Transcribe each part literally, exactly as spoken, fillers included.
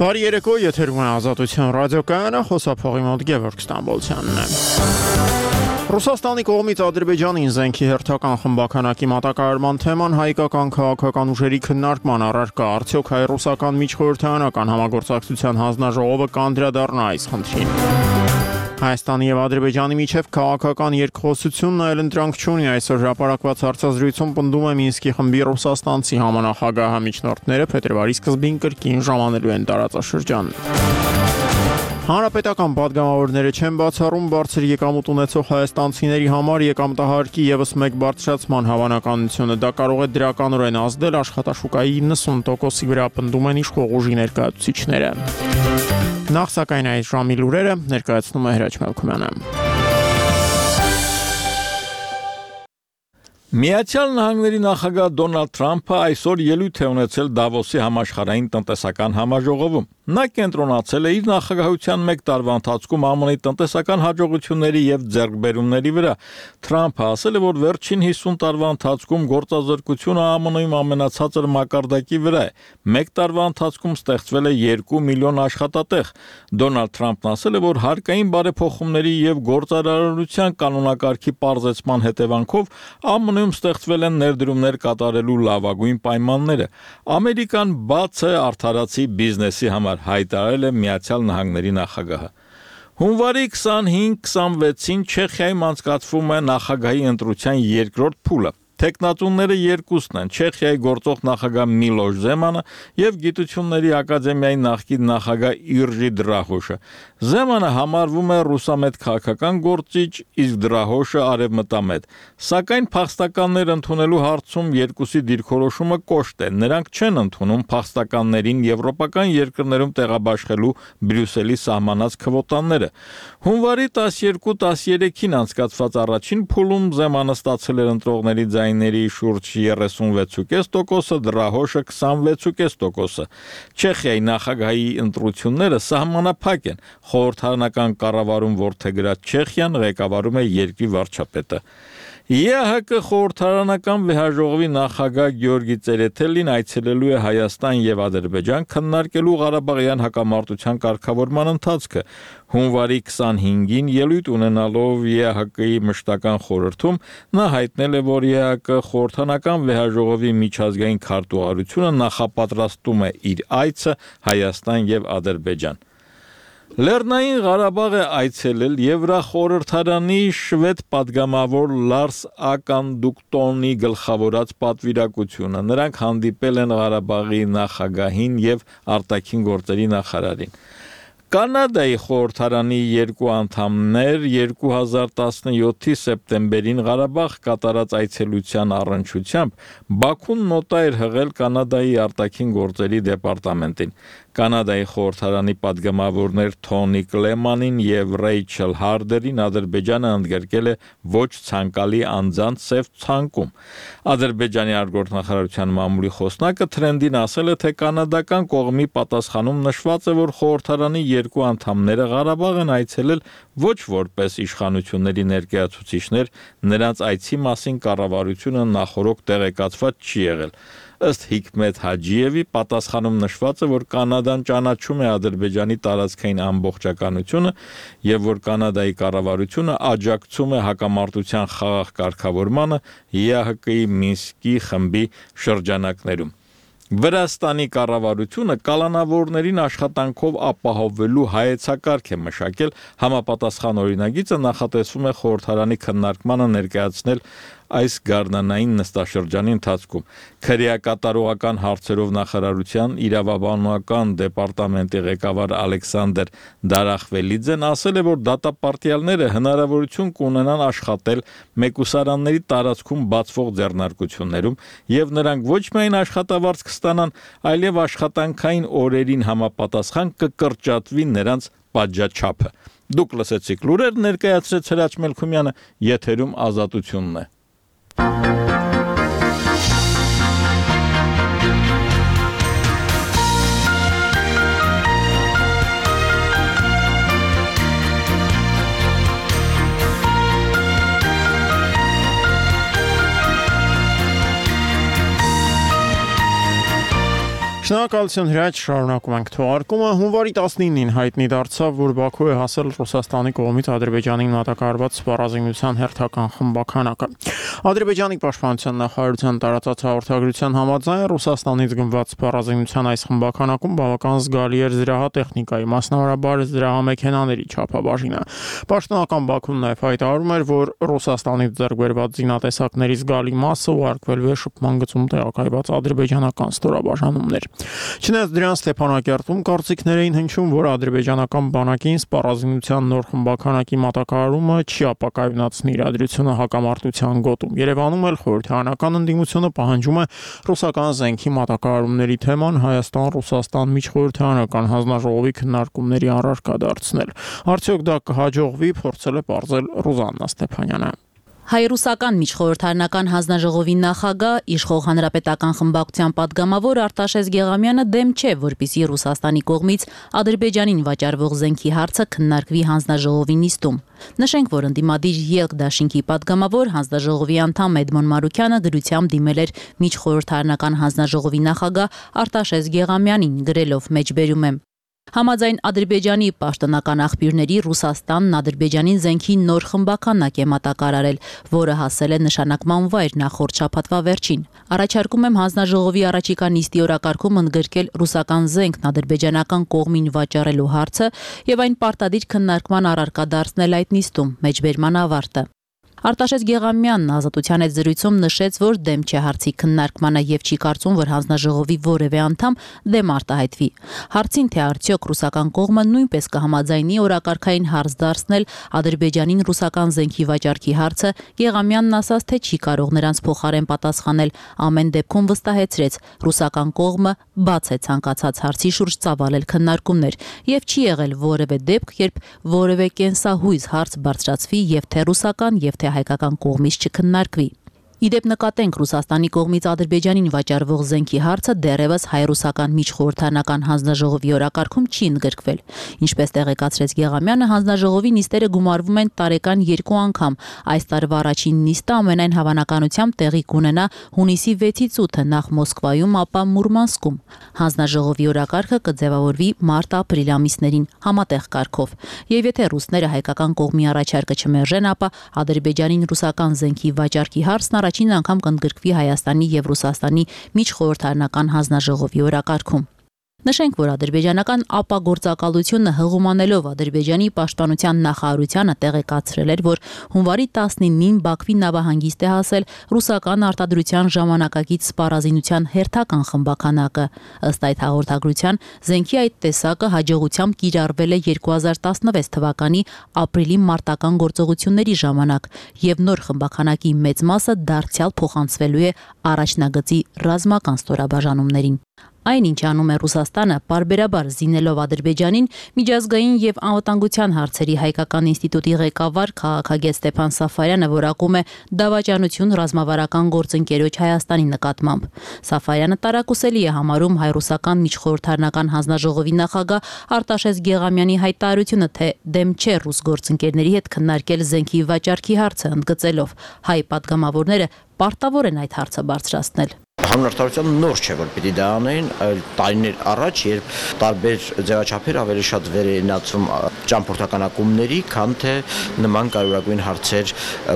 Բարի երեկո, եթերում է Ազատություն ռադիոկայանը, խոսափողի մոտ Գևորգ Ստամբոլցյանն է։ Ռուսաստանի կողմից Ադրբեջանին զենքի հերթական խմբականակի մատակարարման թեման հայկական քաղաքական ուժերի քննարկման առարկա, արդյոք հայ-ռուսական միջխորհրդարանական համագործակցության հանձնաժողովը կանդրադառնա այս խնդրին։ Հայաստանի եւ Ադրբեջանի միջև քաղաքական երկխոսությունն այլ ընտրանք չունի, այսօր հրապարակված հարցազրույցում պնդում է Մինսկի խմբի ռուսաստանցի համանախագահ միջնորդները փետրվարի սկզբին կրկին ժամանելու են տարածաշրջան։ Հանրապետական падգամավորները չեն բացառում բարձր եկամուտ ունեցող հայաստանցիների համար եկամտահարկի ևս մեկ բարձրացման հավանականությունը, դա կարող է դրականորեն ազդել աշխատաշուկայի իննսուն տոկոսի վրա, պնդում են իշխող ուժի ներկայացուցիչները։ Նախ սակայն այս ժամի լուրերը ներկայացնում է Հրաչ Մելքումյանը։ Միացյալ Նահանգների նախագահ Դոնալդ Թրամփը այսօր ելույթ է ունեցել Դավոսի համաշխարհային տնտեսական համաժողովում։ Նա կենտրոնացել է իր նախագահության մեկ տարվա ընթացքում ԱՄՆ-ի տնտեսական հաջողությունների եւ ձեռքբերումների վրա։ Թրամփը ասել է, որ վերջին հիսուն տարվա ընթացքում գործազրկությունը ԱՄՆ-ում ամենացածր մակարդակի վրա է։ Մեկ տարվա ընթացքում ստեղծվել է երկու միլիոն աշխատատեղ։ Դոնալդ Թրամփն ասել է, որ հարկային բարեփոխումների եւ գործարարության կանոնակարգի պարզեցման հետևանքով ԱՄՆ-ում ստեղծվել են ներդրումներ կատարելու լավագույն պայմանները։ Ամերիկան բաց է արդարացի բիզնեսի համար, հայտարարել է Միացյալ Նահանգների նախագահը։ Հունվարի քսանհինգ քսանվեցին Չեխիայում անցկացվում է նախագահի ընտրության երկրորդ փուլը։ Տեխնատունները երկուսն են՝ Չեխիայի գործող նախագահ Միլոշ Զեմանը եւ Գիտությունների ակադեմիայի նախկին նախագահ Իրջի Դրահոշը։ Զեմանը համարվում է ռուսամետ քաղաքական գործիչ, իսկ Դրահոշը արևմտամետ։ Սակայն փախստականներ ընդունելու հարցում երկուսի դիրքորոշումը կոշտ է։ Նրանք չեն ընդունում փախստականներին եվրոպական երկրներում տեղաբաշխելու Բրյուսելի սահմանած քվոտաները։ Հունվարի տասներկու տասներեքին անցկացված առաջին փուլում Զեմանը ստացել էր ընտրողների ձայների շուրջ երեսունվեց կόμμα պենս տոկոսը, Դրահոշը քսանվեց կόμμα պենս տոկոսը։ Չեխիայի նախագահի ընտրությունները սահմանափակ են։ Խորհրդարանական կառավարում որդեգրած Չեխիան ղեկավարում է երկրի վարչապետը։ ԵԱՀԿ խորհրդարանական վեհաժողովի նախագահ Գեորգի Ծերեթելին այցելելու է Հայաստան եւ Ադրբեջան քննարկելու Ղարաբաղյան հակամարտության կարգավորման ընթացքը։ Հունվարի քսանհինգին ելույթ ունենալով ԵԱՀԿ-ի մշտական խորհրդում նա հայտնել է, որ ԵԱՀԿ խորհրդարանական վեհաժողովի միջազգային քարտուղարությունը նախապատրաստում է իր այցը Հայաստան եւ Ադրբեջան։ Լեռնային Ղարաբաղ է այցելել Եվրախորհրդարանի շվեդ падգամավոր Լարս Ականդուկտոնի գլխավորած պատվիրակությունը։ Նրանք հանդիպել են Ղարաբաղի նախագահին եւ արտաքին գործերի նախարարին։ Կանադայի խորհրդարանի երկու անդամներ երկու հազար տասնյոթի սեպտեմբերին Ղարաբաղ կատարած այցելության առնչությամբ Բաքուն նոտա էր հղել Կանադայի արտաքին գործերի դեպարտամենտին։ Կանադայի խորհրդարանի падգամավորներ Թոնի Կլեմանին եւ Ռեյչել Հարդերին Ադրբեջանը ընդգրկել է ոչ ցանկալի անձանց սև ցանկում։ Ադրբեջանի արտգործնախարարության մամուլի խոսնակը Թրենդին ասել է, թե կանադական կողմի պատասխանում նշված է, որ խորհրդարանի երկու անդամները Ղարաբաղ են այցելել ոչ որպես իշխանությունների ներկայացուցիչներ, նրանց այցի մասին կառավարությունը նախորոք տեղեկացված չի եղել։ Ըստ Հիկմետ Հաջիևի պատասխանում նշված է, որ Կանադան ճանաչում է Ադրբեջանի տարածքային ամբողջականությունը եւ որ Կանադայի կառավարությունը աջակցում է հակամարտության խաղաղ կարգավորմանը ԵԱՀԿ-ի Մինսկի խմբի շրջանակներում։ Վրաստանի կառավարությունը կալանավորներին աշխատանքով ապահովելու հայեցակարգ է մշակել, համապատասխան օրինագիծը նախատեսվում է խորհրդարանի քննարկմանը ներկայացնել այս գարնանային նստաշրջանի ընթացքում։ Քրեակատարողական հարցերով նախարարության իրավաբանական դեպարտամենտի ղեկավար Ալեքսանդր Դարախվելիձեն ասել է, որ դատապարտյալները հնարավորություն կունենան աշխատել մեկուսարանների տարածքում բացվող ձեռնարկություններում եւ նրանք ոչ միայն աշխատավարձ կստանան, այլև աշխատանքային օրերին համապատասխան կկրճատվի նրանց պատժաչափը։ Դուք լսեցիք լուրեր, ներկայացրեց Հրաչ Մելքումյանը, եթերում Ազատությունն է։ Շնորհակալություն հրաչ, շարունակում ենք թողարկումը։ Հունվարի տասնինին հայտնի դարձավ, որ Բաքու է հասել Ռուսաստանի կողմից Ադրբեջանին մատակարարված սպառազինության հերթական խմբականակը։ Ադրբեջանի պաշտպանության նախարարության տարածած հաղորդագրության համաձայն Ռուսաստանից գնված սպառազինության այս խմբականակում բավական զգալի էր զրահատեխնիկայի, մասնավորաբար զրահամեքենաների չափաբաժինը։ Պաշտոնական Բաքուն նաև հայտարարում էր, որ Ռուսաստանից ձեռք բերված զինատեսակների զգալի մասը ուղարկվելու է շփման գծում տեղակայված ադրբեջանական ստորաբաժանումներ։ Չնայած դրան Ստեփանակերտում կարծիքներ էին հնչում, որ ադրբեջանական բանակին սպառազինության նոր խմբականակի մատակարարումը չի ապակայունացնի իրադրությունը հակամարտության գոտում։ Երևանում էլ խորհրդարանական ընդդիմությունը պահանջում է ռուսական զենքի մատակարարումների թեման Հայաստան-Ռուսաստան միջխորհրդարանական հանձնաժողովի քննարկումների առարկա դարձնել։ Արդյոք դա կհաջողվի, փորձել է պարզել Ռուզաննա Ստեփանյանը։ Հայ-ռուսական միջխորհրդարանական հանձնաժողովի նախագահ, իշխող հանրապետական խմբակցության падգամավոր Արտաշես Գեղամյանը դեմ չէ, որպեսզի Ռուսաստանի կողմից Ադրբեջանին վաճառվող զենքի հարցը քննարկվի հանձնաժողովի նիստում։ Նշենք, որ ընդդիմադիր ԵԼԿ դաշինքի падգամավոր հանձնաժողովի անդամ Էդմոն Մարուքյանը գրությամբ դիմել էր միջխորհրդարանական հանձնաժողովի նախագահ Արտաշես Գեղամյանին, գրելով մեջբերում եմ. Համաձայն Ադրբեջանի պաշտոնական աղբյուրների Ռուսաստանն Ադրբեջանին զենքի նոր խմբականակ է մատակարարել, որը հասել է նշանակման վայր նախորդ շաբաթվա վերջին։ Առաջարկում եմ հանձնաժողովի առաջիկա նիստի օրակարգում ընդգրկել ռուսական զենքն ադրբեջանական կողմին վաճառելու հարցը եւ այն պարտադիր քննարկման առարկա դարձնել այդ նիստում, մեջբերման ավարտը։ Արտաշես Գեղամյանն Ազատության հետ զրույցում նշեց, որ դեմ չէ հարցի քննարկմանը եւ չի կարծում, որ հանձնաժողովի որևէ անդամ դեմ արտահայտվի։ Հարցին, թե արդյոք ռուսական կողմը նույնպես կհամաձայնի օրակարգային հարց դարձնել Ադրբեջանին ռուսական զենքի վաճառքի հարցը, Գեղամյանն ասաց, թե չի կարող նրանց փոխարեն պատասխանել, ամեն դեպքում վստահեցրեց, ռուսական կողմը բաց է ցանկացած հարցի շուրջ ծավալել քննարկումներ եւ չի եղել որևէ դեպք, երբ որևէ կենսահույզ հարց բարձրացվի եւ թե ռուսական եւ թե հայկական կողմից չքննարկվի։ Իդեպ նկատենք Ռուսաստանի կողմից Ադրբեջանին վաճառվող զենքի հարցը դեռևս հայ-ռուսական միջխորհրդարանական հանձնաժողովի օրակարգում չի ընդգրկվել։ Ինչպես տեղեկացրեց Գեղամյանը, հանձնաժողովի նիստերը գումարվում են տարեկան երկու անգամ։ Այս տարվա առաջին նիստը ամենայն հավանականությամբ տեղի կունենա հունիսի վեցից ութը նախ Մոսկվայում, ապա Մուրմանսկում։ Հանձնաժողովի օրակարգը կձևավորվի մարտ-ապրիլ ամիսներին համատեղ կարգով։ Եվ եթե ռուսները հայկական կողմի առաջարկը չմերժեն, ապա Ադրբեջանին ռուսական զենքի վաճառքի հարցն առաջին անգամ կընդգրկվի Հայաստանի եւ Ռուսաստանի միջխորհրդարանական հանձնաժողովի օրակարգում։ Նշենք, որ ադրբեջանական ապագործակալությունը հղումանելով Ադրբեջանի պաշտպանության նախարարությանը տեղեկացրել էր, որ հունվարի տասնինին Բաքվի նավահանգիստ է հասել ռուսական արտադրության ժամանակակից սպառազինության հերթական խմբականակը։ Ըստ այդ հաղորդագրության, զենքի այդ տեսակը հաջողությամբ կիրառվել է երկու հազար տասնվեց թվականի ապրիլի մարտական գործողությունների ժամանակ եւ նոր խմբականակի մեծ մասը դարձյալ փոխանցվելու է առաջնագծի ռազմական ստորաբաժանումներին։ Այն, ինչ անում է Ռուսաստանը, պարբերաբար զինելով Ադրբեջանին, միջազգային եւ անվտանգության հարցերի հայկական ինստիտուտի ղեկավար քաղաքագետ Ստեփան Սաֆարյանը որակում է դավաճանություն ռազմավարական գործընկերոջ Հայաստանի նկատմամբ։ Սաֆարյանը տարակուսելի է համարում հայ-ռուսական միջխորհրդարանական հանձնաժողովի նախագահ Արտաշես Գեղամյանի հայտարարությունը, թե դեմ չէ ռուս գործընկերների հետ քննարկել զենքի վաճառքի հարցը, ընդգծելով հայ падգամավորները պարտավոր են այդ հարցը բարձրացնել։ Հանրարտարության նոր չէ, որ պիտի դա անեն, այլ տարիներ առաջ, երբ տարբեր ձևաչափեր ավելի շատ վերենացում ճամփորդականակումների, քան թե նման կարևորագույն հարցեր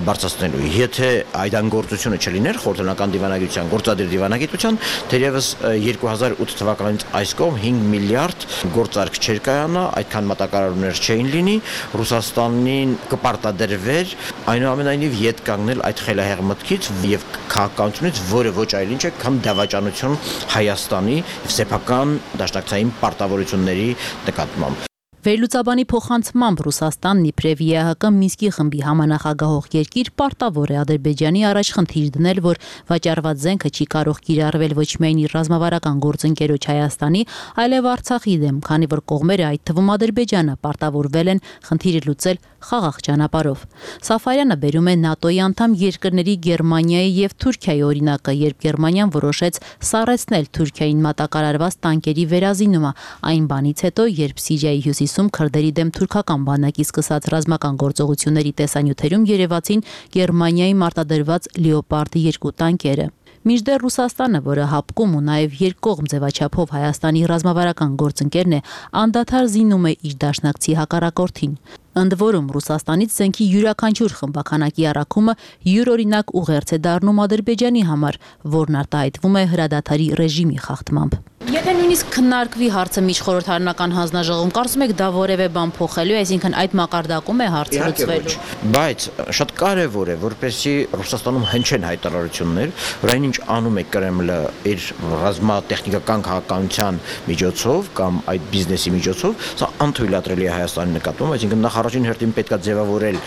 բարձրացնելու։ Եթե այդ անգործությունը չլիներ խորհրդարանական դիվանագիտության, գործադիր դիվանագիտության, թերևս երկու հազար ութ թվականից այս կողմ հինգ միլիարդ գործարք չէր կայանա, այդքան մատակարարումներ չէին լինի, Ռուսաստանին կպարտադրվեր այնուամենայնիվ ետ կանգնել այդ խելահեղ մտքից եւ քաղաքականությունից, որը ոչ այլ ինչ է, քան դավաճանություն Հայաստանի եւ սեփական դաշնակցային պարտավորությունների նկատմամբ։ Վերլուծաբանի փոխանցմամբ Ռուսաստանն իբրև ԵԱՀԿ Մինսկի խմբի համանախագահող երկիր պարտավոր է Ադրբեջանի առաջ խնդիր դնել, որ վաճառված զենքը չի կարող կիրառվել ոչ միայն իր ռազմավարական գործընկերոջ Հայաստանի, այլև Արցախի դեմ, քանի որ կողմերը, այդ թվում Ադրբեջանը, պարտավորվել են խնդիրը լուծել խաղաղ ճանապարհով։ Սաֆարյանը բերում է ՆԱՏՕ-ի անդամ երկրների Գերմանիայի եւ Թուրքիայի օրինակը, երբ Գերմանիան որոշեց սառեցնել Թուրքիային մատակարարված տանկերի վերազինումը, այն բանից հետո, երբ Սիրիայի հյուսիսում քրդերի դեմ թուրքական բանակի սկսած ռազմական գործողությունների տեսանյութերում երևացին Գերմանիայի մարտադրված Լեոպարդ երկու տանկերը։ Մինչդեռ Ռուսաստանը, որը հապկում ու նաև երկկողմ ձևաչափով Հայաստանի ռազմավարական գործընկերն է, անդադար զինում է իր դաշնակցի հակառակորդին։ Ընդ որում Ռուսաստանից զենքի յուրաքանչյուր խմբականակի առաքումը յուրօրինակ ուղերձ է դառնում Ադրբեջանի համար, որն արտահայտվում է հրադադարի ռեժիմի խախտմամբ։ Եթե նույնիսկ քննարկվի հարցը միջխորհրդարանական հանձնաժողովում, կարծում եք դա որևէ բան փոխելու է, այսինքն այդ մակարդակում է հարցը լուծվելու։ Բայց շատ կարևոր է, որպեսզի Ռուսաստանում հնչեն հայտարարություններ, որ այնինչ անում է Կրեմլը իր ռազմատեխնիկական քաղաքականության միջոցով կամ այդ բիզնեսի միջոցով, սա անթույլատրելի է Հայաստանի նկատմամբ, այսինքն նախ առաջին հերթին պետք է ձևավորել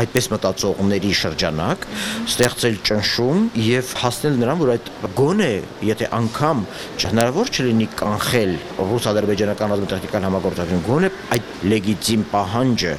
այդպես մտածողների շրջանակ, ստեղծել ճնշում եւ հասնել նրան, որ այդ գոնե, եթե անգամ հնարավոր չլինի կանխել ռուս-ադրբեջանական ռազմատեխնիկական համագործակցություն, գոնե այդ լեգիտիմ պահանջը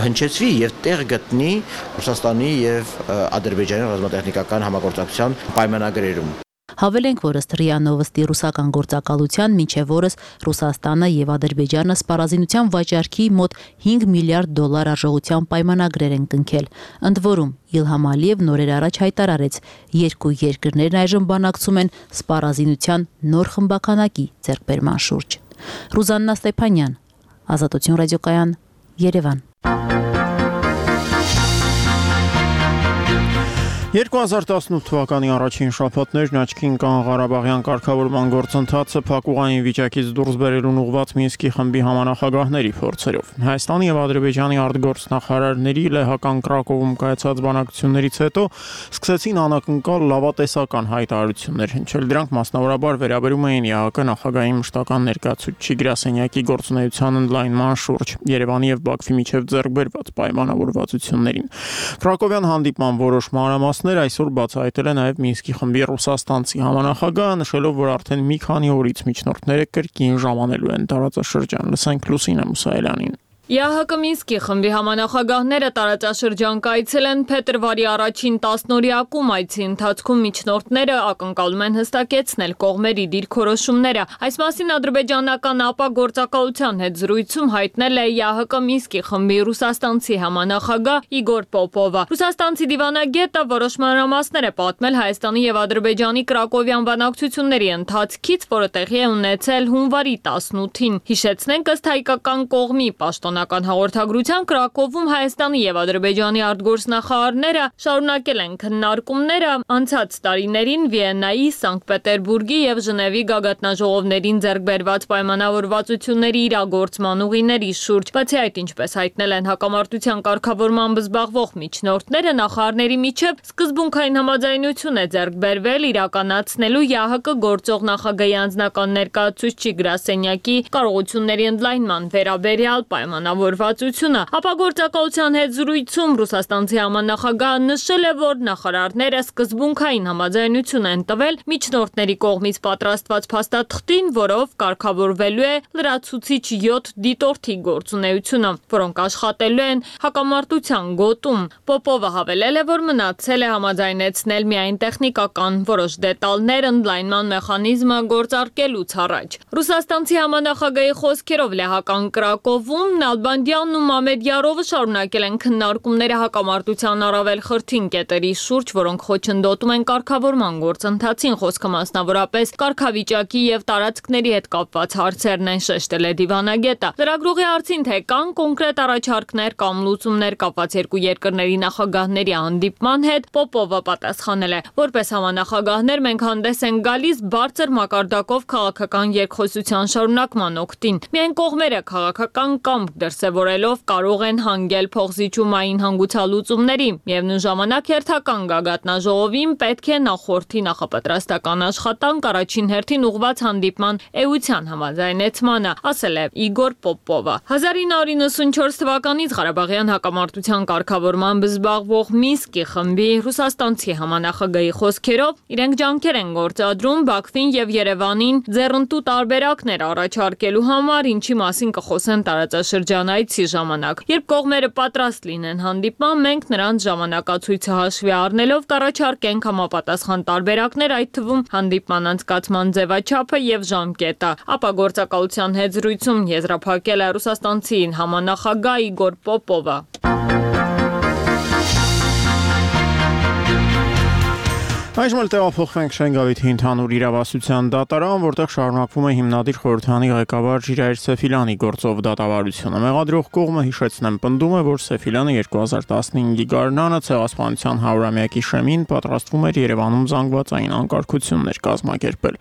հնչեցվի եւ տեղ գտնի Ռուսաստանի եւ Ադրբեջանի ռազմատեխնիկական համագործակցության պայմանագրերում։ Հավելենք, որ ըստ ՌԻԱ Նովոստի ռուսական գործակալության մինչև օրս Ռուսաստանը եւ Ադրբեջանը սպառազինության վաճառքի մոտ հինգ միլիարդ դոլար արժողությամբ պայմանագրեր են կնքել։ Ընդ որում Իլհամ Ալիևն օրեր առաջ հայտարարեց, երկու երկրներն այժմ բանակցում են սպառազինության նոր խմբականակի ձեռքբերման շուրջ։ Ռուզաննա Ստեփանյան, Ազատություն ռադիոկայան, Երևան։ երկու հազար տասնութ թվականի առաջին շաբաթներն աչքին կան Ղարաբաղյան կարգավորման գործընթացը փակուղային վիճակից դուրս բերելուն ուղղված Մինսկի խմբի համանախագահների փորձերով։ Հայաստանի եւ Ադրբեջանի արտգործնախարարների լեհական Կրակովում կայացած բանակցություններից հետո սկսեցին անակնկալ լավատեսական հայտարարություններ հնչել։ Դրանք մասնավորաբար վերաբերում էին ԵԱՀԿ նախագահի մշտական ներկայացուցիչ Գրասենյակի գործունեության ընդլայնման շուրջ Երևանի եւ Բաքվի միջև ձեռք բերված պայմանավորվածություններին։ Կրակովյան հանդիպման որոշ մանրամասներ այսօր բացահայտել է նաև Մինսկի խմբի ռուսաստանցի համանախագահը, նշելով, որ արդեն մի քանի օրից միջնորդները կրկին ժամանելու են տարածաշրջան։ Լսենք Լուսինե Մուսայելյանին։ ԵԱՀԿ Մինսկի խմբի համանախագահները տարածաշրջան կայցելեն փետրվարի առաջին տասնօրյակում, այցի ընթացքում միջնորդները ակնկալում են հստակեցնել կողմերի դիրքորոշումները։ Այս մասին ադրբեջանական ԱՊԱ գործակալության հետ զրույցում հայտնել է ԵԱՀԿ Մինսկի խմբի ռուսաստանցի համանախագահ Իգոր Պոպովը։ Ռուսաստանցի դիվանագետը որոշ մանրամասներ է պատմել Հայաստանի եւ Ադրբեջանի Կրակովյան բանակցությունների ընթացքից, որը տեղի է ունեցել հունվարի տասնութին։ Հիշեցնենք, ըստ հայկական կողմի պաշտոն հաղորդագրության Կրակովում Հայաստանի եւ Ադրբեջանի արտգործնախարարները շարունակել են քննարկումները անցած տարիներին Վիեննայի, Սանկտ Պետերբուրգի եւ Ժնևի գագաթնաժողովներին ձեռք բերված պայմանավորվածությունների իրագործման ուղիների շուրջ։ Բացի այդ, ինչպես հայտնել են հակամարտության կարգավորմամբ զբաղվող միջնորդները, նախարարների միջև սկզբունքային համաձայնություն է ձեռք բերվել իրականացնելու ԵԱՀԿ գործող նախագահի անձնական ներկայացուցիչ Գրասենյակի կարողությունների ընդլայնման վերաբերյալ պայման Անավորվածությունը, ապա գործակալության հետ զրույցում ռուսաստանցի համանախագահը նշել է, որ նախարարները սկզբունքային համաձայնություն են տվել միջնորդների կողմից պատրաստված փաստաթղթին, որով կարգավորվելու է լրացուցիչ յոթ դիտորդի գործունեությունը, որոնք աշխատելու են հակամարտության գոտում։ Պոպովը հավելել է, որ մնացել է համաձայնեցնել միայն տեխնիկական որոշ դետալներ ընդլայնման մեխանիզմը գործարկելուց առաջ։ Ռուսաստանցի համանախագահի խոսքերով լեհական Կրակովում Նալբանդյանն ու Մամեդյարովը շարունակել են քննարկումները հակամարտության առավել խրթին կետերի շուրջ, որոնք խոչընդոտում են կարգավորման գործընթացին, խոսքը մասնավորապես կարգավիճակի եւ տարածքների հետ կապված հարցերն են, շեշտել է դիվանագետը։ Լրագրողի հարցին, թե կան կոնկրետ առաջարկներ կամ լուծումներ կապված երկու երկրների նախագահների հանդիպման հետ, Պոպովը պատասխանել է, որպես համանախագահներ մենք հանդես ենք գալիս բարձր մակարդակով քաղաքական երկխոսության շարունակման օգտին։ Միայն կողմերը քաղաքական կամ դրսևորելով կարող են հանգել փոխզիջումային հանգուցալուծումների։ Միևնույն ժամանակ հերթական գագաթնաժողովին պետք է նախորդի նախապատրաստական աշխատանք առաջին հերթին ուղղված հանդիպման էության համաձայնեցմանը, ասել է Իգոր Պոպովը։ հազար ինը հարյուր նվաթ թվականից Ղարաբաղյան հակամարտության կարգավորմամբ զբաղվող Մինսկի խմբի ռուսաստանցի համանախագահի խոսքերով իրենք ջանքեր են գործադրում Բաքվին եւ Երևանին ձեռնտու տարբերակներ առաջարկելու համար, ինչի մասին կխոսեն տարածաշրջանայցի ժամանակ։ Երբ կողմերը պատրաստ լինեն հանդիպման, մենք նրանց ժամանակացույցը հաշվի առնելով կառաջարկենք համապատասխան տարբերակներ, այդ թվում հանդիպման անցկացման ձևաչափը եւ ժամկետը։ Ապա գործակալության հետ զրույցում եզրափակել է ռուսաստանցի համանախագահ Իգոր Պոպովը։ Այժմ էլ տեղափոխվենք Շենգավիթի ընդհանուր իրավասության դատարան, որտեղ շարունակվում է հիմնադիր խորհրդանի ղեկավար Ժիրայր Սեֆիլյանի գործով դատավարությունը։ Մեղադրող կողմը հիշեցնեմ պնդում է, որ Սեֆիլյանը երկու հազար տասնհինգի գարնանը ցեղասպանության հարյուրամյակի շեմին պատրաստվում էր Երևանում զանգվածային անկարգություններ կազմակերպել։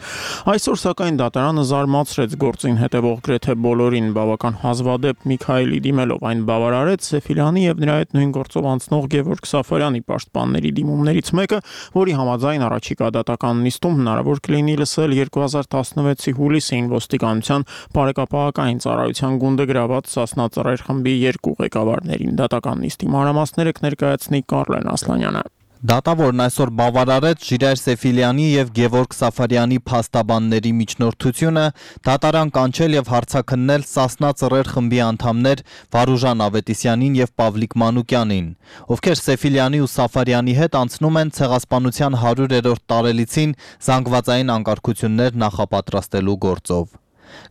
Այսօր սակայն դատարանը զարմացրեց գործին հետևող գրեթե բոլորին, բավական հազվադեպ Միքայելի դիմելով այն բավարարեց Սեֆիլյանի եւ նրա հետ նույն գործով անցնող Գևորգ Սաֆարյանի պաշտպանների դիմումներից մեկը, որի համաձայն առաջիկա դատական նիստում հնարավոր կլինի լսել երկու հազար տասնվեցի հուլիսին ոստիկանության բարեկապահական ծառայության գունդը գրաված Սասնա ծռեր խմբի երկու ղեկավարներին։ Դատական նիստի մանրամասները կներկայացնի Կարլեն Ասլանյանը։ Դատավորն այսօր բավարարեց Ժիրայր Սեֆիլյանի եւ Գևորգ Սաֆարյանի փաստաբանների միջնորդությունը, դատարան կանչել եւ հարցաքննել Սասնա ծռեր խմբի անդամներ Վարուժան Ավետիսյանին եւ Պավլիկ Մանուկյանին, ովքեր Սեֆիլյանի ու Սաֆարյանի հետ անցնում են ցեղասպանության հարյուրերորդ տարելիցին զանգվածային անկարգություններ նախապատրաստելու գործով։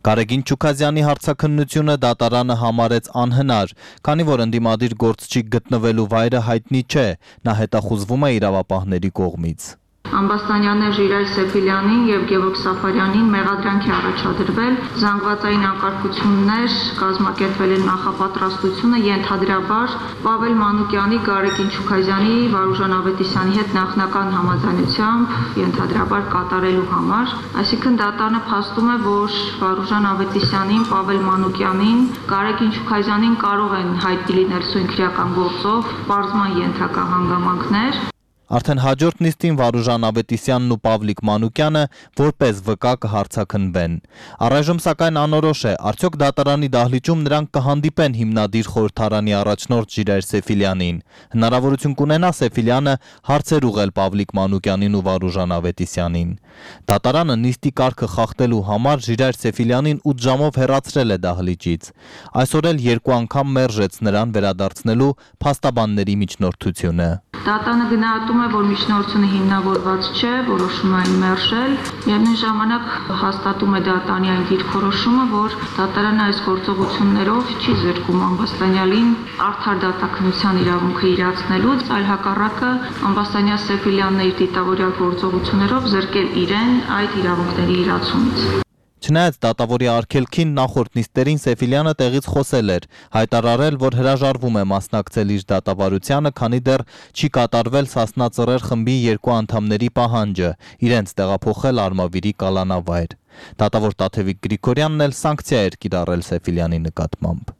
Գարեգին Չուքազյանի հարցաքննությունը դատարանը համարեց անհնար, քանի որ ընդդիմադիր գործչի գտնվելու վայրը հայտնի չէ, նա հետախուզվում է իրավապահների կողմից։ Ամբաստանյաններ Ժիրայր Սեֆիլյանին եւ Գևորգ Սաֆարյանին մեղադրանք է առաջադրվել զանգվածային անկարգություններ կազմակերպել են նախապատրաստությունը ենթադրաբար Պավել Մանուկյանի, Գարեգին Չուքազյանի, Վարուժան Ավետիսյանի հետ նախնական համաձայնությամբ ենթադրաբար կատարելու համար, այսինքն դատարանը փաստում է, որ Վարուժան Ավետիսյանին, Պավել Մանուկյանին, Գարեգին Չուքազյանին կարող են հայտնի լինել սույնքրական գործով պարզման ենթակա հանգամանքներ։ Արդեն հաջորդ նիստին Վարուժան Ավետիսյանն ու Պավլիկ Մանուկյանը որպես վկա կհարցաքննվեն։ Առայժմ սակայն անորոշ է, արդյոք դատարանի դահլիճում նրանք կհանդիպեն հիմնադիր խորհրդարանի առաջնորդ Ժիրայր Սեֆիլյանին։ Հնարավորություն կունենա Սեֆիլյանը հարցեր ուղղել Պավլիկ Մանուկյանին ու Վարուժան Ավետիսյանին։ Դատարանը նիստի կարգը խախտելու համար Ժիրայր Սեֆիլյանին ութ ժամով հեռացրել է դահլիճից։ Այսօր էլ երկու անգամ մերժեց նրան վերադարձնելու փաստաբանների միջնորդությունը։ Դատարանը գնահատում է, որ միջնորդությունը հիմնավորված չէ, որոշում այն մերժել, միևնույն ժամանակ հաստատում է դատարանի այն դիրքորոշումը, որ դատարանը այս գործողություններով չի զրկում Ամբաստանյանին արդար դատաքննության իրավունքը իրացնելուց, այլ հակառակը Ամբաստանյան Սեֆիլյանն իր դիտավորյալ գործողություններով զրկել իրեն այդ իրավունքների իրացումից։ Չնայած դատավորի արգելքին նախորդ նիստերին Սեֆիլյանը տեղից խոսել էր, հայտարարել, որ հրաժարվում է մասնակցել իր դատավարությանը, քանի դեռ չի կատարվել Սասնա ծռեր խմբի երկու անդամների պահանջը, իրենց տեղափոխել Արմավիրի կալանավայր։ Դատավոր Տաթևիկ Գրիգորյանն էլ սանկցիա էր կիրառել Սեֆիլյանի նկատմամբ։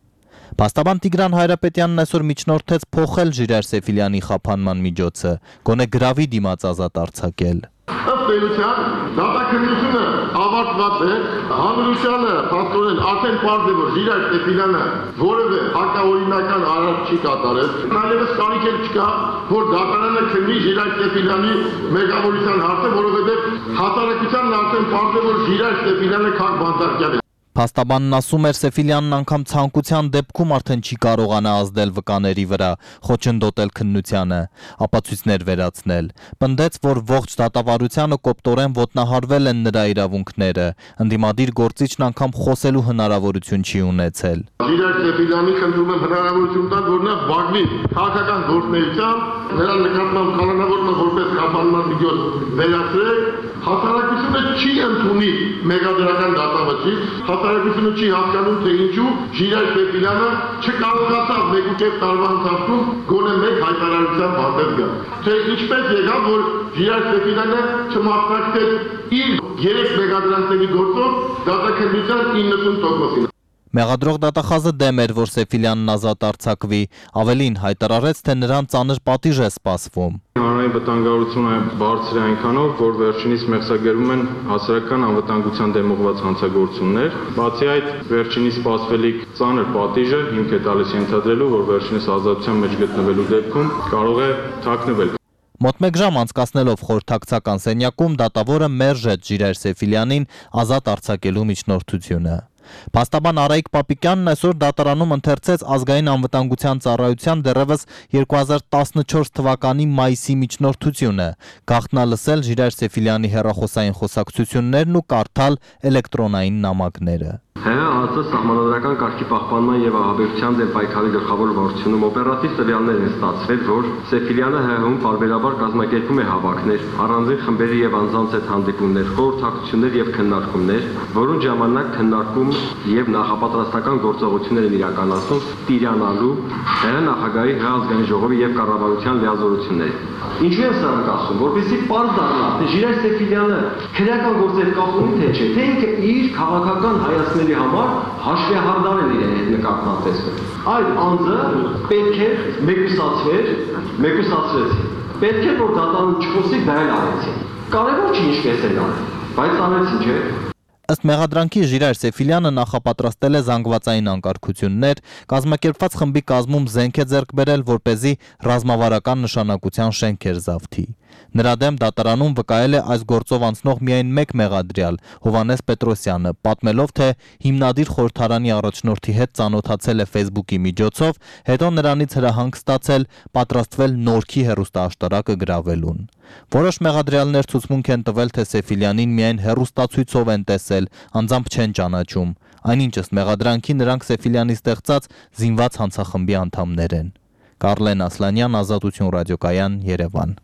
Փաստաբան Տիգրան Հայրապետյանն այսօր միջնորդեց փոխել Ժիրայր Սեֆիլյանի խափանման միջոցը, գոնե գրավի դիմաց ազատ արձակել։ Ըստ էության դատաքննությունը ավարտված է, հանրությանը փաստորեն արդեն պարզ է, որ Ժիրայր Սեֆիլյանը որևէ հակաօրինական արարք չի կատարել, այլևս կարիք էլ չկա, որ դատարանը քննի Ժիրայր Սեֆիլյանի մեղավորության հարցը, որովհետև հասարակությանն արդեն պարզ է, որ Ժիրայր Սեֆիլյանը քաղաք բանտարկյալ է։ Փաստաբանն ասում էր Սեֆիլյանն անգամ ցանկության դեպքում արդեն չի կարողանա ազդել վկաների վրա, խոչընդոտել քննությանը, ապացույցներ վերացնել։ Պնդեց, որ ողջ դատավարությանը կոպտորեն ոտնահարվել են նրա իրավունքները, ընդդիմադիր գործիչն անգամ խոսելու հնարավորություն չի ունեցել։ Ժիրայր Սեֆիլյանի խնդրում եմ հնարավորություն տալ, որ նա զբաղվի քաղաքական գործունեությամբ, նրա նկատմամբ կալանավորումը որպես խափանման միջոց վերացրել, հասարակությունը չի ընդունի մեղադրական դատավճիռ, հասարակությունը չի հասկանում, թե ինչու Ժիրայր Սեֆիլյանը չկարողացավ մեկուկես տարվա ընթացքում գոնե մեկ հայտարարությամբ հանդես գալ։ Թե ինչպես եղավ, որ Ժիրայր Սեֆիլյանը չմասնակցեց իր երեք մեղադրանքների գործով դատաքննության իննսուն տոկոսին։ Մեղադրող դատախազը դեմ էր, որ Սեֆիլյանն ազատ արձակվի, ավելին հայտարարեց, թե նրան ծանր պատիժ է սպասվում։ Հանրային վտանգավորությունը բարձր է այնքանով, որ վերջինիս մեղսագերում են հասարակական անվտանգության դեմ ուղղված հանցագործություններ։ Բացի այդ, վերջինիս սպասվելիք ծանր պատիժը հիմք է տալիս ենթադրելու, որ վերջինիս ազատության մեջ գտնվելու դեպքում կարող է թաքնվել։ Մոտ մեկ ժամ անցկացնելով խորհրդակցական սենյակում դատավորը մերժեց Ժիրայր Սեֆիլյանին ազատ արձակելու միջնորդությունը։ Փաստաբան Արայիկ Պապիկյանն այսօր դատարանում ընթերցեց ազգային անվտանգության ծառայության դեռևս երկու հազար տասնչորս թվականի մայիսի միջնորդությունը, գաղտնալսել Ժիրայր Սեֆիլյանի հեռախոսային խոսակցություններն ու կարդալ էլեկտրոնային նամակները։ ՀՀ-ՀԱԾ սահմանադրական կարգի պահպանման եւ ահաբեկչության դեմ պայքարի գլխավոր վարչությունում օպերատիվ տվյալներ են ստացվել, որ Սեֆիլյանը ՀՀ-ում պարբերաբար կազմակերպում է հավաքներ, առանձին խմբերի եւ անձանց հետ հանդիպումներ, խորհրդակցություններ եւ քննարկումներ, որոնց ժամանակ քննարկում եւ նախապատրաստական գործողություններ են իրականացնում տիրանալու ՀՀ նախագահի ՀՀ ազգային ժողովի եւ կառավարության լիազորությունները։ Ինչու եմ սա ասում, որպեսզի պարզ դառնա, թե Ժիրայր Սեֆիլյանը քրեական գործեր կապում թե չէ, թե ինքը իր քաղաքական հայացքների համար հաշվեհարդար են իրեն հետ նկատմամբ տեսնում։ Այդ անձը պետք է մեկուսացվեր, մեկուսացրեցին։ Պետք է որ դատարանում չխոսի, դա էլ արեցին։ Կարևոր չի ինչպես են արել, բայց արեցին, չէ՞։ Ըստ մեղադրանքի Ժիրայր Սեֆիլյանը նախապատրաստել է զանգվածային անկարգություններ, կազմակերպված խմբի կազմում զենք է ձեռք բերել, որպեսզի ռազմավարական նշանակության շենքեր զավթի։ Նրա դեմ դատարանում վկայել է այս գործով անցնող միայն մեկ մեղադրյալ՝ Հովհաննես Պետրոսյանը, պատմելով, թե հիմնադիր խորհրդարանի առաջնորդի հետ ծանոթացել է Facebook-ի միջոցով, հետո նրանից հրահանգ ստացել պատրաստվել Նորքի հեռուստաաշտարակը գրավելուն։ Որոշ մեղադրյալներ ցուցմունք են տվել, թե Սեֆիլյանին միայն հեռուստացույցով են տեսել, անձամբ չեն ճանաչում։ Այնինչ ըստ մեղադրանքի նրանք Սեֆիլյանի ստեղծած զինված հանցախմբի անդամներ են։ Կարլեն Ասլանյան, Ազատություն ռադիոկայան, Երևան։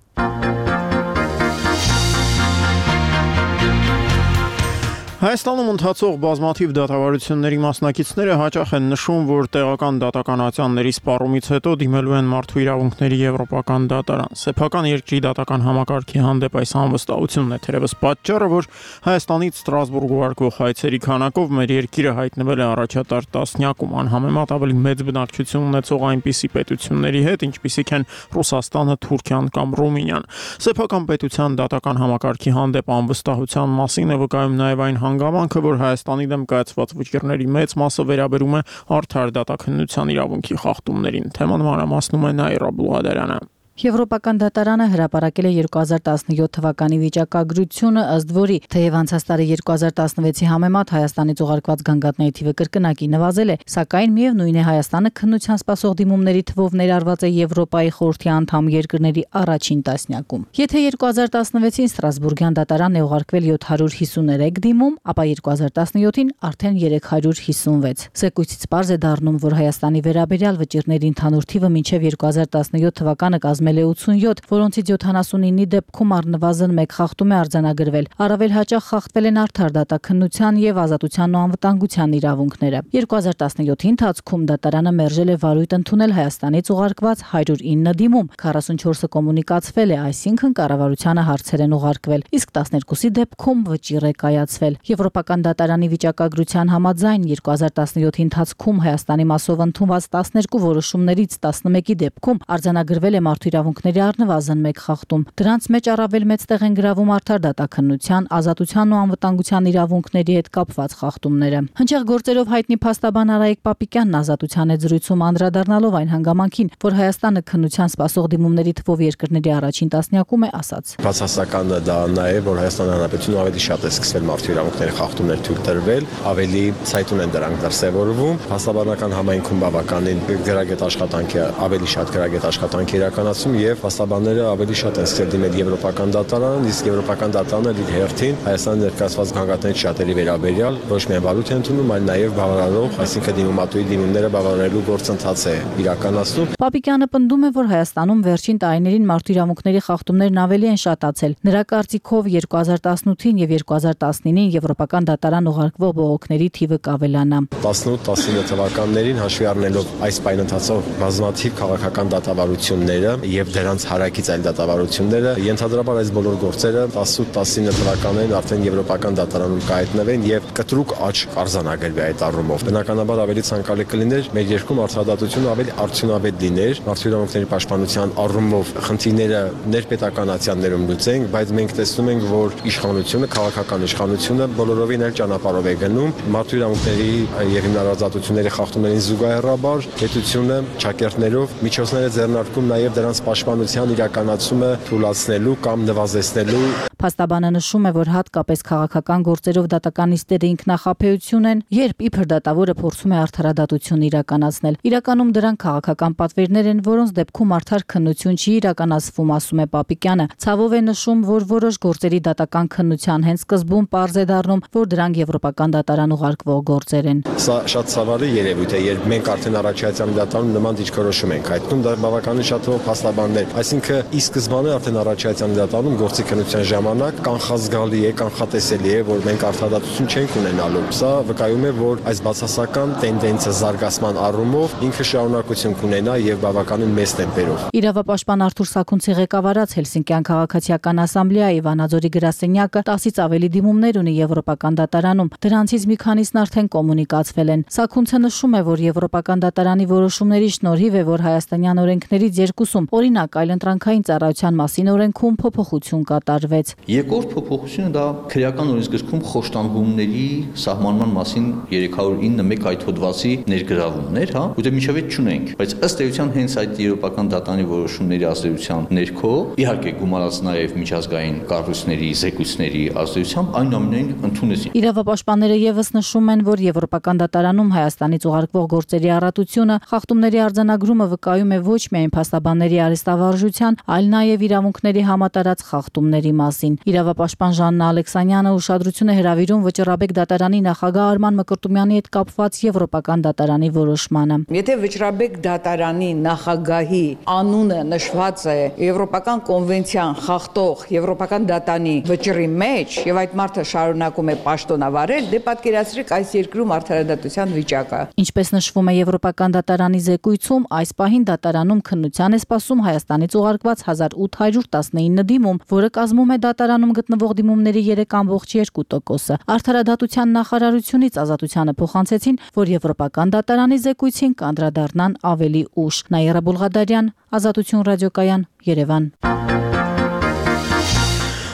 Հայաստանում ընթացող բազմաթիվ դատավարությունների մասնակիցները հաճախ են նշում, որ տեղական դատականացիաների սպառումից հետո դիմելու են մարդու իրավունքների եվրոպական դատարան։ Սեփական երկրի դատական համակարգի հանդեպ այս անվստահությունն է թերևս պատճառը, որ Հայաստանից Ստրասբուրգ ուղարկվող հայցերի քանակով մեր երկիրը հայտնվել է առաջատար տասնյակում, անհամեմատ ավելի մեծ բնակչություն ունեցող այնպիսի պետությունների հետ, ինչպիսիք են Ռուսաստանը, Թուրքիան կամ Ռումինիան։ Սեփական պետության դատական համակարգի հանդեպ անվստահության մասին է վկայում նաև այն հանգամանքը, որ Հայաստանի դեմ կայացված վճիռների մեծ մասը վերաբերում է արդար դատաքննության իրավունքի խախտումներին։ Թեման մանրամասնում է Նաիրա Բլուհադարյանը։ Եվրոպական դատարանը հրապարակել է երկու հազար տասնյոթ թվականի վիճակագրությունը, ըստ որի թեև անցած տարի երկու հազար տասնվեցի համեմատ Հայաստանից ուղարկված գանգատների թիվը կրկնակի նվազել է, սակայն միևնույն է Հայաստանը քննության սպասող դիմումների թվով ներառված է Եվրոպայի խորհրդի անդամ երկրների առաջին տասնյակում։ Եթե երկու հազար տասնվեցին Ստրասբուրգյան դատարանն է ուղարկվել յոթ հարյուր հիսուներեք դիմում, ապա երկու հազար տասնյոթին արդեն երեք հարյուր հիսունվեց։ Զեկույցից պարզ է դառնում, որ Հայաստանի վերաբերյալ վճիռների ընդհանուր թիվը մինչև երկու հազար տասնյոթ թվականը կազմել է ութսունյոթ, որոնցից յոթանասունինի դեպքում առնվազն մեկ խախտում է արձանագրվել։ Առավել հաճախ խախտվել են արդար դատաքննության եւ ազատության ու անվտանգության իրավունքները։ երկու հազար տասնյոթի ընթացքում դատարանը մերժել է վարույթ ընդունել Հայաստանից ուղարկված հարյուր ինը դիմում, քառասունչորսը կոմունիկացվել է, այսինքն կառավարությանը հարցեր են ուղարկվել, իսկ տասներկուսի դեպքում վճիռ է կայացվել։ Եվրոպական դատարանի վիճակագրության համաձայն երկու հազար տասնյոթի ընթացքում Հայաստանի մասով ընդունված տասներկու որոշումներից տասնմեկի դեպքում արձանագրվել է մարդու իրավունքների առնվազն մեկ խախտում։ Դրանց մեջ առավել մեծ տեղ են գրավում արդար դատաքննության, ազատության ու անվտանգության իրավունքների հետ կապված խախտումները։ Հնչեղ գործերով հայտնի փաստաբան Արայիկ Պապիկյանն ազատության հետ զրույցում անդրադառնալով այն հանգամանքին, որ Հայաստանը քննության սպասող դիմումների թվով երկրների առաջին տասնյակում է, ասաց. Բացասականը դա նա է, որ Հայաստանի Հանրապետությունը ավելի շատ է սկսվել մարդու իրավունքների խախտումներ թույլ տրվել, ավելի ցայտուն են դրանք դրսևորվում։ Փաստաբանական համայնքում բավականին գրագետ աշխատանք է, ավելի շատ գրագետ աշխատանք իրականացում եւ փաստաբանները ավելի շատ են սկսել դիմել եվրոպական դատարանին, իսկ եվրոպական դատարանը իր հերթին Հայաստանի ներկայացված գանգատներից շատերի վերաբերյալ ոչ միայն վարույթ է ընդունում, այլ նաեւ բավարարող, այսինքն դիմումատուի դիմումները բավարարելու գործընթաց է իրականացնում։ Պապիկյանը պնդում է, որ Հայաստանում վերջին տարիներին մարդու իրավունքների խախտումներն ավելի են շատացել։ Նրա կարծիքով երկու հազար տասնութին եւ երկու հազար տասնինին եվրոպական դատարան ուղարկվող բողոքների թիվը կավելանա։ տասնութ տասնինը թվականներին հաշվի առնելով այս պայն ընթացող բազմաթիվ քաղաքական դատավարությունները եւ դրանց հարակից այլ դատավարությունները, ենթադրաբար այս բոլոր գործերը տասնութ տասնինը թվականներին արդեն եվրոպական դատարանում կհայտնվեն եւ կտրուկ աճ կարձանագրվի այդ առումով։ Բնականաբար ավելի ցանկալի կլիներ մեր երկրում արդարադատությունը ավելի արդյունավետ լիներ, մարդու իրավունքների պաշտպանության առումով խնդիրները ներպետականացիաներում լուծենք, բայց մենք տեսնում ենք, որ իշխանությունը, քաղաքական իշխանությունը բոլորովին այլ ճանապարհով է գնում, մարդու իրավունքների եւ հիմնարարազատությունների խախտումներին զուգահեռաբար պետությունը ճակերտներով միջոցներ է ձեռնարկում նաեւ դրանց պաշտպանության իրականացումը թույլատնելու կամ նվազեցնելու։ Փաստաբանը նշում է, որ հատկապես քաղաքական գործերով դատականիստերը ինքնախաբեություն են, երբ իբր դատավորը փորձում է արդարադատություն իրականացնել։ Իրականում դրանք քաղաքական պատվերներ են, որոնց դեպքում արդար քննություն չի իրականացվում, ասում է Պապիկյանը։ Ցավով է նշում, որ որոշ գործերի դատական քննության հենց սկզբում պարզ է դառնում, որ դրանք եվրոպական դատարան ուղարկվող գործեր են։ Սա շատ ցավալի երևույթ է, երբ մենք արդեն առաջացյալ դատարանում նման դիրքորոշում ենք հայտնում, դա բավականին շատ թվով փաստաբաններ, այսինքն ի սկզբանե արդեն առաջացյալ դատարանում գործի քննության ժամանակ կանխազգալի է, կանխատեսելի է, որ մենք արդարադատություն չենք ունենալու։ Սա վկայում է, որ այս բացասական տենդենսը զարգացման առումով ինքը շարունակություն կունենա եւ բավականին մեծ տեմպերով։ Իրավապաշտպան Արթուր Սաքունցի ղեկավարած Հելսինկյան քաղաքացիական ասամբլեայի Վանաձորի գրասենյակը տասից ավելի դիմումներ ունի եվրոպական դատարանում։ Դրանցից մի քանիսն արդեն կոմունիկացվել են։ Սաքունցը նշում է, որ եվրոպական դատարանի որոշումների շնորհիվ է, որ հայաստանյան օրենքներից երկուսում, օրինակ այլընտրանքային ծառայության մասին օրենքում փոփոխություն կատարվեց։ Երկրորդ փոփոխությունը դա քրեական օրենսգրքում խոշտանգումների սահմանման մասին երեք հարյուր իննմեկ այդ հոդվածի ներգրավումներ, հա, ուտե միջև այդ չունենք, բայց ըստ էության հենց այդ եվրոպական դատարանի որոշումների ազդեցության ներքո, իհարկե գումարած նաև միջազգային կառույցների, զեկույցների ազդեցությամբ այնուամենայն ընդունեցին։ Իրավապաշտպանները եւս նշում են, որ եվրոպական դատարանում Հայաստանից ուղարկվող գործերի առատությունը, խախտումների արձանագրումը վկայում է ոչ միայն փաստաբանների արհեստավարժության, այլ նաև իրավունքների համատարած խախտումների մասին։ Իրավապաշտպան Ժաննա Ալեքսանյանը ուշադրություն է հրավիրում Վճռաբեկ դատարանի նախագահ Արման Մկրտումյանի հետ կապված եվրոպական դատարանի որոշմանը։ Եթե Վճռաբեկ դատարանի նախագահի անունը նշված է Եվրոպական կոնվենցիան խախտող եվրոպական դատարանի վճռի մեջ եւ այդ մարդը շարունակում է պաշտոնավարել, դե պատկերացրեք այս երկրում արդարադատության վիճակը։ Ինչպես նշվում է Եվրոպական դատարանի զեկույցում, այս պահին դատարանում քննության է սպասում Հայաստանից ուղարկված հազար ութ հարյուր տասնինը դիմում, որը կազմում է դատարանում գտնվող դիմումների երեք կόμμα երկու տոկոսը։ Արդարադատության նախարարությունից ազատությանը փոխանցեցին, որ Եվրոպական դատարանի զեկույցին կանդրադառնան ավելի ուշ։ Նաիրա Բուլղադարյան, Ազատություն ռադիոկայան, Երևան։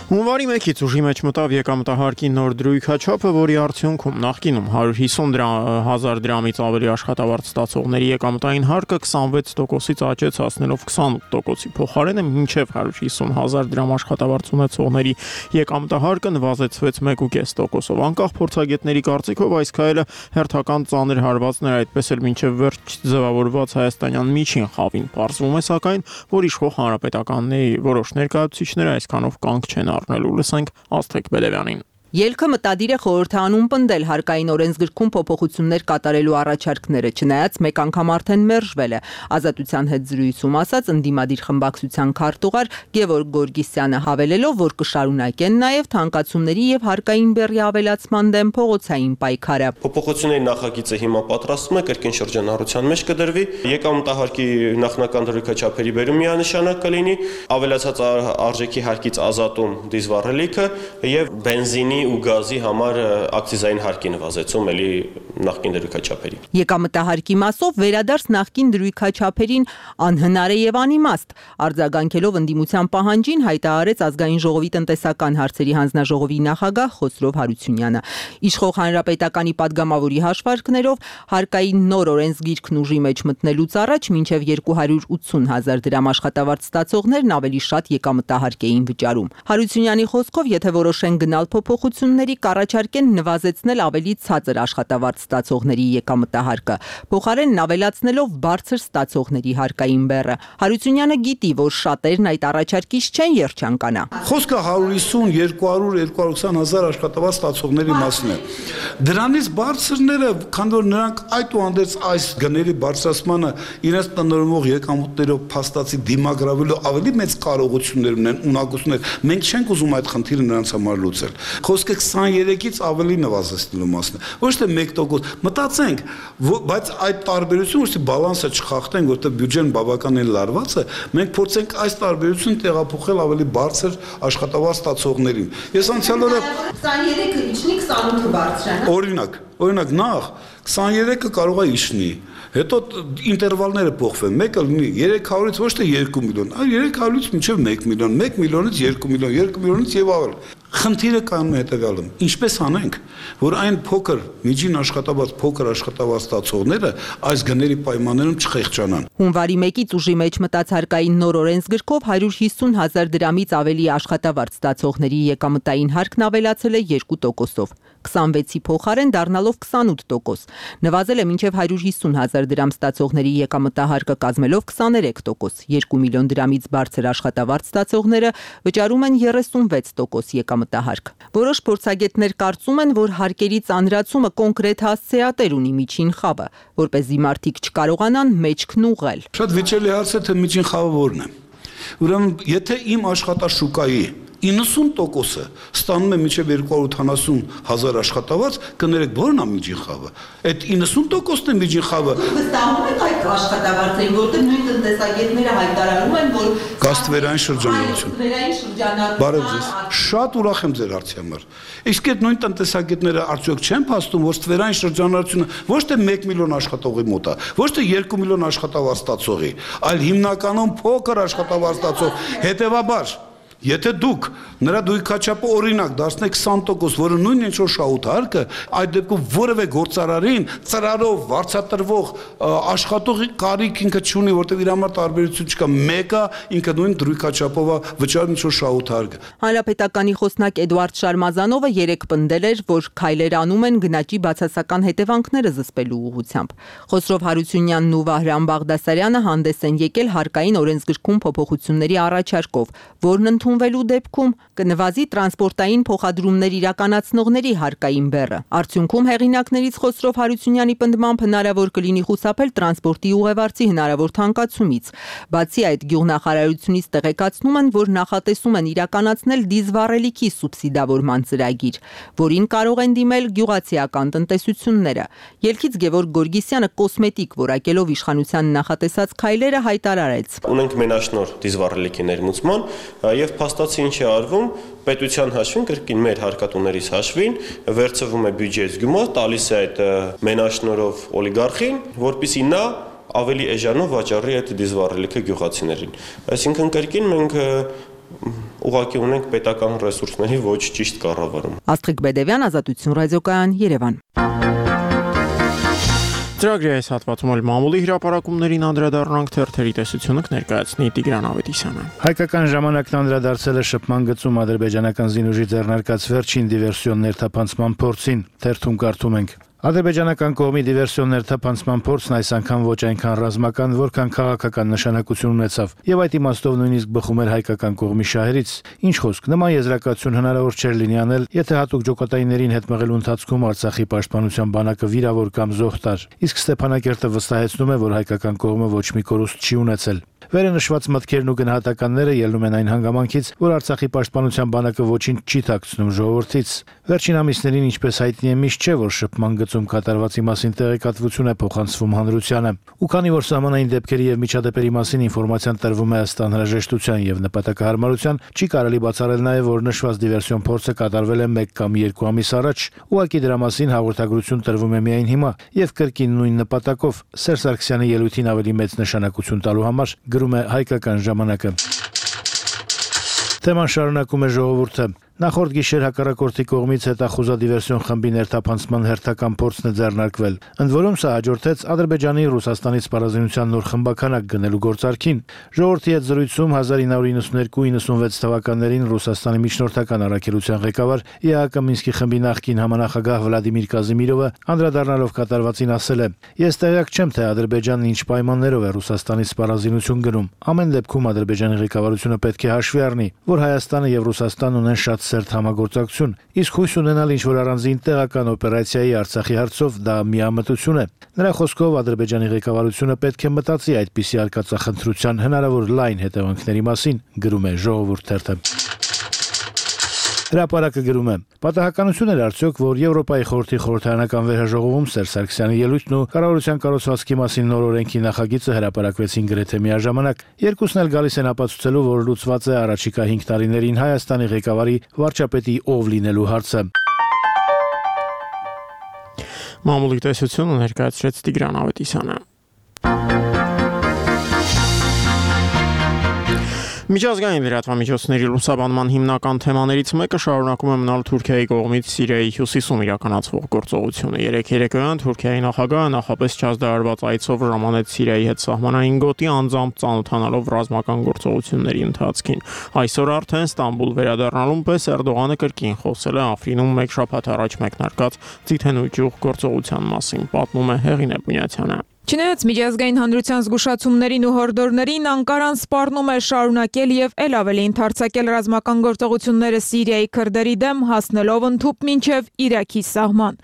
Հունվարի մեկից ուժի մեջ մտավ եկամտահարկի նոր դրույքաչափը, որի արդյունքում նախկինում հարյուր հիսուն հազար դրամից ավելի աշխատավարձ ստացողների եկամտային հարկը քսանվեց տոկոսից աճեց հասնելով քսանութ տոկոսի փոխարենը մինչև հարյուր հիսուն հազար դրամ աշխատավարձ ունեցողների եկամտահարկը նվազեցվեց մեկ կես տոկոսով։ Անկախ փորձագետների կարծիքով այս քայլը հերթական ծանր հարվածներ, այդպես էլ մինչև վերջ ձևավորված հայաստանյան միջին խավին պարզվում է, սակայն որ իշխող հանրապետականների որոշ ներկայացուցիչներ այսքանով կանգ չեն առնելու, լսենք Աստղիկ Բելևյանին։ Ելքը մտադիր է խորհրդանում պնդել հարկային օրենսգրքում փոփոխություններ կատարելու առաջարկները, չնայած մեկ անգամ արդեն մերժվել է։ Ազատության հետ զրույցում ասաց ընդդիմադիր խմբակցության քարտուղար Գևորգ Գորգիսյանը, հավելելով, որ կշարունակեն նաև թանկացումների եւ հարկային բեռի ավելացման դեմ փողոցային պայքարը։ Փոփոխությունների նախագիծը հիմա պատրաստվում է, կրկին շրջանառության մեջ կդրվի, եկամտահարկի նախնական դրույքաչափերի բերում միանշանակ կլինի, ավելացած արժեքի հարկից ազատում դիզվառելիքը եւ բենզինի ու գազի համար ակցիզային հարկի նվազեցում էլի նախկին դրույքաչափերի։ Եկամտահարկի մասով վերադարձ նախկին դրույքաչափերին անհնար է եւ անիմաստ։ Արձագանքելով ընդդիմության պահանջին հայտարարեց ազգային ժողովի տնտեսական հարցերի հանձնաժողովի նախագահ Խոսրով Հարությունյանը։ Իշխող հանրապետականի падգամավորի հաշվարկներով հարկային նոր օրենսգիրքն ուժի մեջ մտնելուց առաջ մինչև երկու հարյուր ութսուն հազար դրամ աշխատավարձ ստացողներն ավելի շատ եկամտահարկ էին վճարում։ Հարությունյանի խոսքով, եթե որոշեն գնալ փոփոխությունների, կառաջարկեն նվազեցնել ավելի ցածր աշխատավարձ ստացողների եկամտահարկը, փոխարենն ավելացնելով բարձր ստացողների հարկային բեռը։ Հարությունյանը գիտի, որ շատերն այդ առաջարկից չեն երջանկանա։ Խոսքը հարյուր հիսուն, երկու հարյուր, երկու հարյուր ութ հազար աշխատավարձ ստացողների մասին է։ Դրանից բարձրները, քանի որ նրանք այդուհանդերձ այս գների բարձրացմանը իրենց տնօրինող եկամուտներով փաստացի դիմագրավելու ավելի մեծ կարողություններ ունեն, ունակություններ։ Մենք չենք ուզում այդ խնդիրը նրանց համար լուծել։ Խոսքը քսաներեքից ավելի նվազեցնելու մասն է։ Ոչ թե մեկ տոկոս։ Մտածենք, բայց այդ տարբերությունը ուստի բալանսը չխախտենք, որտեղ բյուջեն բավականին լարված է, մենք փորձենք այս տարբերությունը տեղափոխել ավելի բարձր աշխատավարձ ստացողներին։ Ես անցյալ օրը քսաներեքը իջնի քսանութը բարձրանա։ Օրինակ, օրինակ նախ քսաներեքը կարող է իջնի, հետո ինտերվալները փոխվեն, մեկը լինի երեք հարյուրից ոչ թե երկու միլիոն, այլ երեք հարյուրից մինչև մեկ միլիոն, մեկ միլիոնից երկու միլիոն, երկու միլիոնից եւ ավել։ Խնդիրը կայանում է հետևյալում. ինչպես անենք, որ այն փոքր միջին աշխատավարձ, փոքր աշխատավարձ ստացողները այս գների պայմաններում չխեղճանան։ Հունվարի մեկից ուժի մեջ մտած հարկային նոր օրենսգրքով հարյուր հիսուն հազար դրամից ավելի աշխատավարձ ստացողների եկամտային հարկն ավելացել է երկու տոկոսով, քսանվեցի փոխարեն դառնալով քսանութ տոկոս։ Նվազել է մինչև հարյուր հիսուն հազար դրամ ստացողների եկամտահարկը կազմելով քսաներեք տոկոս, երկու միլիոն դրամից բարձր աշխատավարձ ստացողները վճարում են երեսունվեց տոկոս եկամտահարկ։ Որոշ փորձագետներ կարծում են, որ հարկերի ծանրացումը կոնկրետ հասցեատեր ունի միջին խավը, որպեսզի մարդիկ չկարողանան մեջքն ուղղել։ Շատ վիճելի հարց է, թե միջին խավը որն է։ Ուրեմն, եթե իմ աշխատաշուկայի իննսուն տոկոսը ստանում է մինչև երկու հարյուր ութանասուն հազար աշխատավարձ, կներեք որն է միջին խավը։ Այդ իննսուն տոկոսն է միջին խավը։ Վստահում եք այդ աշխատավարձին, որտեղ նույն տնտեսագետները հայտարարում են, որ գաստվերային շրջանառություն։ Գաստվերային շրջանառություն։ Բարև ձեզ։ Շատ ուրախ եմ ձեր հարցի համար։ Իսկ այդ նույն տնտեսագետները արդյոք չեն փաստում, որ ստվերային շրջանառությունը ոչ թե մեկ միլիոն աշխատողի մոտ է, ոչ թե երկու միլիոն աշխատավարձ ստացողի, այլ հիմնականում փոքր աշխատավարձ ստացող, հետևաբար Եթե դուք նրա դույքաչափը օրինակ դարձնեք քսան տոկոս, որը նույնն ինչ որ շահութարկը, այդ դեպքում որևէ գործարարին ծրարով վարձատրվող աշխատողի կարիք ինքը չունի, որտեղ իր համար տարբերություն չկա, մեկը ինքը նույն դույքաչափով է վճարում ինչ որ շահութարկը։ Հանրապետականի խոսնակ Էդուարդ Շարմազանովը երեկ պնդել էր, որ քայլեր անում են գնաճի բացասական հետևանքները զսպելու ուղղությամբ։ Խոսրով Հարությունյանն ու Վահրամ Բաղդասարյանը հանդես են եկել հարկային օրենսգրքում փոփոխությունների առաջարկով, որն ընդունվելու դեպքում կնվազի տրանսպորտային փոխադրումներ իրականացնողների հարկային բեռը։ Արդյունքում հեղինակներից Խոսրով Հարությունյանի պնդմամբ հնարավոր կլինի խուսափել տրանսպորտի ուղևորցի հնարավոր թանկացումից։ Բացի այդ, գյուղնախարարությունից տեղեկացնում են, որ նախատեսում են իրականացնել դիզվառելիքի սուբսիդավորման ծրագիր, որին կարող են դիմել գյուղացիական տնտեսությունները։ Ելքից Գևորգ Գորգիսյանը կոսմետիկ որակելով իշխանության նախատեսած քայլերը հայտարարեց։ Ունենք մենաշնոր դիզվառելիքի ներմուծման եւ փաստացի ինչ է արվում, պետության հաշվին, կրկին մեր հարկատուներից հաշվին, վերցվում է բյուջեից գումար, տալիս է այդ մենաշնորհով օլիգարխին, որպեսզի նա ավելի էժանով վաճառի այդ դիզվառելիքը գյուղացիներին։ Այսինքն կրկին մենք ուղղակի ունենք պետական ռեսուրսների ոչ ճիշտ կառավարում։ Աստղիկ Բեդևյան, Ազատություն ռադիոկայան, Երևան։ Ծրագրի այս հատվածում էլ մամուլի հրապարակումներին անդրադառնանք, թերթերի տեսությունը կներկայացնի Տիգրան Ավետիսյանը։ Հայկական ժամանակն անդրադարձել է շփման գծում ադրբեջանական զինուժի ձեռնարկած վերջին դիվերսիոն ներթափանցման փորձին։ Թերթում կարդում ենք. Ադրբեջանական կողմի դիվերսիոն ներթափանցման փորձն այս անգամ ոչ այնքան ռազմական, որքան քաղաքական նշանակություն ունեցավ, եւ այդ իմաստով նույնիսկ բխում էր հայկական կողմի շահերից։ Ինչ խոսք, նման եզրակացություն հնարավոր չէր լինի անել, եթե հատուկ ջոկատայիններին հետ մղելու ընթացքում Արցախի պաշտպանության բանակը վիրավոր կամ զոհ տար։ Իսկ Ստեփանակերտը վստահեցնում է, որ հայկական կողմը ոչ մի կորուստ չի ունեցել։ Վերը նշված մտքերն ու գնահատականները ելնում են այն հանգամանքից, որ Արցախի պաշտպանության բանակը ոչինչ չի թաքցնում ժողովրդից։ Վերջին ամիսներին, ինչպես հայտնի է, միշտ չէ, որ շփման գծում կատարվածի մասին տեղեկատվություն է փոխանցվում հանրությանը։ Ու քանի որ սահմանային դեպքերի եւ միջադեպերի մասին ինֆորմացիան տրվում է ըստ անհրաժեշտության եւ նպատակահարմարության, չի կարելի բացառել նաեւ, որ նշված դիվերսիոն փորձը կատարվել է մեկ կամ երկու ամիս առաջ, ուղղակի դրա մասին հաղորդագրություն տրվում է միայն հիմա եւ կրկին նույն նպատակով Սերժ Սարգսյանի ելույթին ավելի մեծ նշանակություն տալու համար, գրում է Հայկական ժամանակը։ Թեման շարունակում է ժողովուրդը։ Նախորդ գիշեր հակառակորդի կողմից հետախուզադիվերսիոն խմբի ներթափանցման հերթական փորձն է ձեռնարկվել։ Ընդ որում սա հաջորդեց Ադրբեջանի Ռուսաստանի սպառազինության նոր խմբականակ գնելու գործարքին։ Ժողովրդի հետ զրույցում հազար ինը հարյուր իննսունեքու իննսունվեց թվականներին Ռուսաստանի միջնորդական առաքելության ղեկավար ԵԱՀԿ Մինսկի խմբի նախկին համանախագահ Վլադիմիր Կազիմիրովը անդրադառնալով կատարվածին ասել է. «Ես տեղյակ չեմ, թե Ադրբեջանն ինչ պայմաններով է Ռուսաստանի սպառազինություն գնում։ Ամեն դեպքում Ադրբեջանի ղեկավարությունը պետք է հաշվի առնի, որ Հայաստանը եւ Ռուսաստանն ունեն շատ սերտ համագործակցություն, իսկ հույս ունենալ ինչ-որ առանձին տեղական օպերացիայի Արցախի հարցով դա միամտություն է»։ Նրա խոսքով Ադրբեջանի ղեկավարությունը պետք է մտածի այդպիսի արկածախնդրության հնարավոր լայն հետևանքների մասին, գրում է Ժողովուրդ թերթը։ Հրապարակը գրում է. «Պատահականություն էր արդյոք, որ Եվրոպայի խորհրդի խորհրդարանական վերհաջողովում Սերժ Սարգսյանի ելույթն ու կառավարության կառուցվածքի մասին նոր օրենքի նախագիծը հրապարակվեցին գրեթե միաժամանակ։ Երկուսն էլ գալիս են ապացուցելու, որ լուծված է առաջիկա հինգ տարիներին Հայաստանի ղեկավարի վարչապետի ով լինելու հարցը»։ Մամուլի տեսությունը ներկայացրեց Տիգրան Ավետիսյանը։ Միջազգային լրատվամիջոցների լուսաբանման հիմնական թեմաներից մեկը շարունակում է մնալ Թուրքիայի կողմից Սիրիայի հյուսիսում իրականացվող գործողությունը։ Երեկ երեկոյան Թուրքիայի նախագահը նախապես չազդարարված այցով ժամանեց Սիրիայի հետ սահմանային գոտի անձամբ ծանոթանալով ռազմական գործողությունների ընթացքին։ Այսօր արդեն Ստամբուլ վերադառնալուն պես Էրդողանը կրկին խոսել է Աֆրինում մեկ շաբաթ առաջ մեկնարկած Ձիթենու ճյուղ գործողության մասին, պատմում է Հեղինե Բունյացյանը։ Չնայած միջազգային հանրության զգուշացումներին ու հորդորներին, Անկարան սպառնում է շարունակել եւ ել ավելի ընդարձակել ռազմական գործողությունները Սիրիայի քրդերի դեմ, հասնելով ընդհուպ մինչեւ Իրաքի սահման։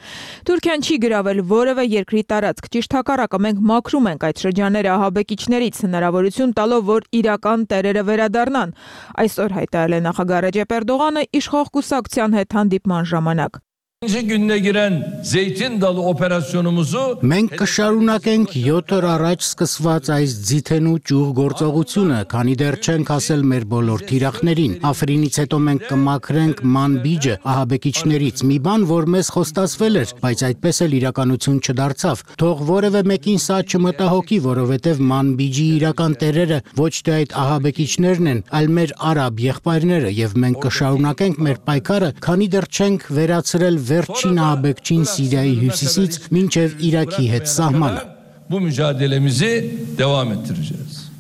Թուրքիան չի գրավել որևէ երկրի տարածք, ճիշտ հակառակը մենք մաքրում ենք այդ շրջանները ահաբեկիչներից, հնարավորություն տալով, որ իրական տերերը վերադառնան։ Այսօր հայտարարել է նախագահ Ռեջեփ Էրդողանը իշխող կուսակցության հետ հանդիպման ժամանակ։ Gününe giren Zeytin Dalı operasyonumuzu մենք կշարունակենք յոթ օր առաջ սկսված այս Ձիթենու ճյուղ գործողությունը, քանի դեռ չենք հասել մեր բոլոր թիրախներին։ Աֆրինից հետո մենք կմաքրենք Մանբիջը ահաբեկիչներից, մի բան, որ մեզ խոստացվել էր, բայց այդպես էլ իրականություն չդարձավ։ Թող որևէ մեկին սա չմտահոգի, որովհետև Մանբիջի իրական տերերը ոչ թե այդ ահաբեկիչներն են, այլ մեր արաբ եղբայրները, եւ մենք կշարունակենք մեր պայքարը, քանի դեռ չենք վերացրել վերջին ահաբեկչին Սիրիայի հյուսիսից մինչև Իրաքի հետ սահմանը։ Bu mücadelemizi devam ettireceğiz.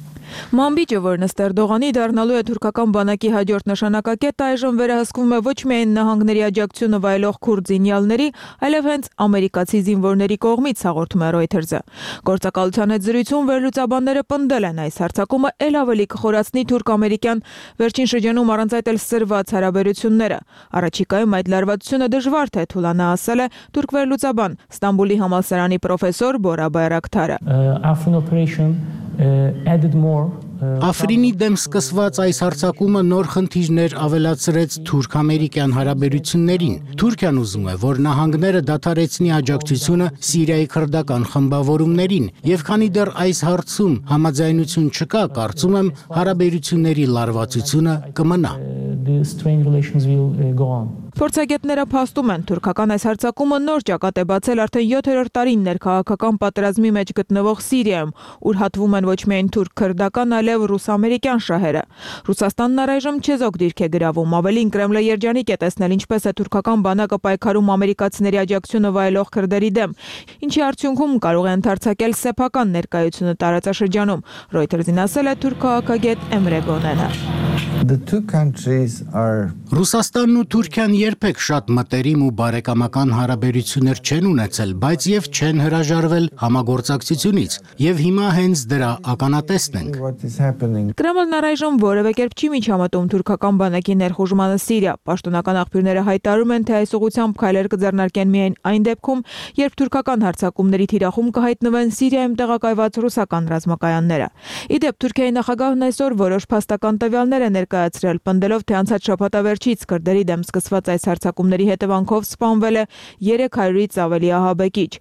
Մանբիջը, որն ըստ Էրդողանի դառնալու է թուրքական բանակի հաջորդ նշանակակետը, այժմ վերահսկվում է ոչ միայն նահանգների աջակցությունը վայելող քուրդ զինյալների, այլև հենց ամերիկացի զինվորների կողմից, հաղորդում է Reuters-ը։ Գործակալության հետ զրույցում վերլուծաբանները պնդել են, այս հարձակումը ել ավելի կխորացնի թուրք-ամերիկյան վերջին շրջանում առանց այդ էլ սրված հարաբերությունները։ Առաջիկայում այդ լարվածությունը դժվար թե թուլանա, ասել է թուրք վերլուծաբան Ստամբուլի համալսարանի պրոֆեսոր Բորա Բայրակթարը։ Աֆրինի դեմ սկսված այս հարձակումը նոր խնդիրներ ավելացրեց թուրք-ամերիկյան հարաբերություններին։ Թուրքիան ուզում է, որ նահանգները դադարեցնի աջակցությունը Սիրիայի քրդական խմբավորումներին, եւ քանի դեռ այս հարցում համաձայնություն չկա, կարծում եմ, հարաբերությունների լարվածությունը կմնա։ Փորձագետները փաստում են, թուրքական այս հարձակումը նոր ճակատ է բացել արդեն յոթերորդ տարին ներքաղաքական պատերազմի մեջ գտնվող Սիրիայում, ուր հատվում են ոչ միայն թուրք-քրդական, այլև ռուս-ամերիկյան շահերը։ Ռուսաստանն առայժմ չեզոք դիրք է գրավում, ավելին Կրեմլը երջանիկ է տեսնել, ինչպես է թուրքական բանակը պայքարում ամերիկացիների աջակցությունը վայելող քրդերի դեմ, ինչի արդյունքում կարող է ընդարձակել սեփական ներկայությունը տարածաշրջանում։ Reuters-ին ասել է թուրք քաղաքագետ Էմրե Գոնենը։ Ռուսաստանն ու Թուրքիան երբեք շատ մտերիմ ու բարեկամական հարաբերություններ չեն ունեցել, բայց եւ չեն հրաժարվել համագործակցությունից, եւ հիմա հենց դրա ականատեսն ենք։ Կրեմլն առայժմ որևէ կերպ չի միջամտում թուրքական բանակի ներխուժմանը Սիրիա։ Պաշտոնական աղբյուրները հայտարարում են, թե այս ուղղությամբ քայլեր կձեռնարկեն միայն այն դեպքում, երբ թուրքական հարձակումների թիրախում կհայտնվեն Սիրիայում տեղակայված ռուսական ռազմակայանները։ Իդեպ Թուրքիայի նախագահն այսօր որոշ փաստական տվյալներ է ներկայացրել, պնդելով, թե անցած շաբաթավերջից քրդերի դեմ սկսված այս հարձակումների հետևանքով սպանվել է երեք հարյուրից ավելի ահաբեկիչ։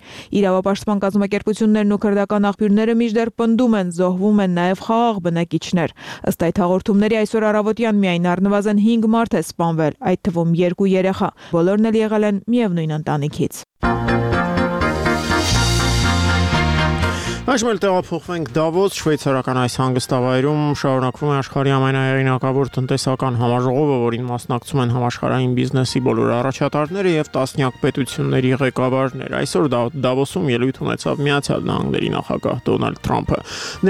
Իրավապաշտպան կազմակերպություններն ու քրդական աղբյուրները մինչդեռ պնդում են, զոհվում են նաև խաղաղ բնակիչներ։ Ըստ այդ հաղորդումների այսօր առավոտյան միայն առնվազն հինգ մարդ է սպանվել, այդ թվում երկու երեխա։ Բոլորն էլ եղել են միևնույն ընտանիքից։ Այժմ էլ տեղափոխվենք Դավոս, շվեյցարական այս հանգստավայրում շարունակվում է աշխարհի ամենահեղինակավոր տնտեսական համաժողովը, որին մասնակցում են համաշխարհային բիզնեսի բոլոր առաջատարները եւ տասնյակ պետությունների ղեկավարներ։ Այսօր Դավոսում ելույթ ունեցավ Միացյալ Նահանգների նախագահ Դոնալդ Թրամփը։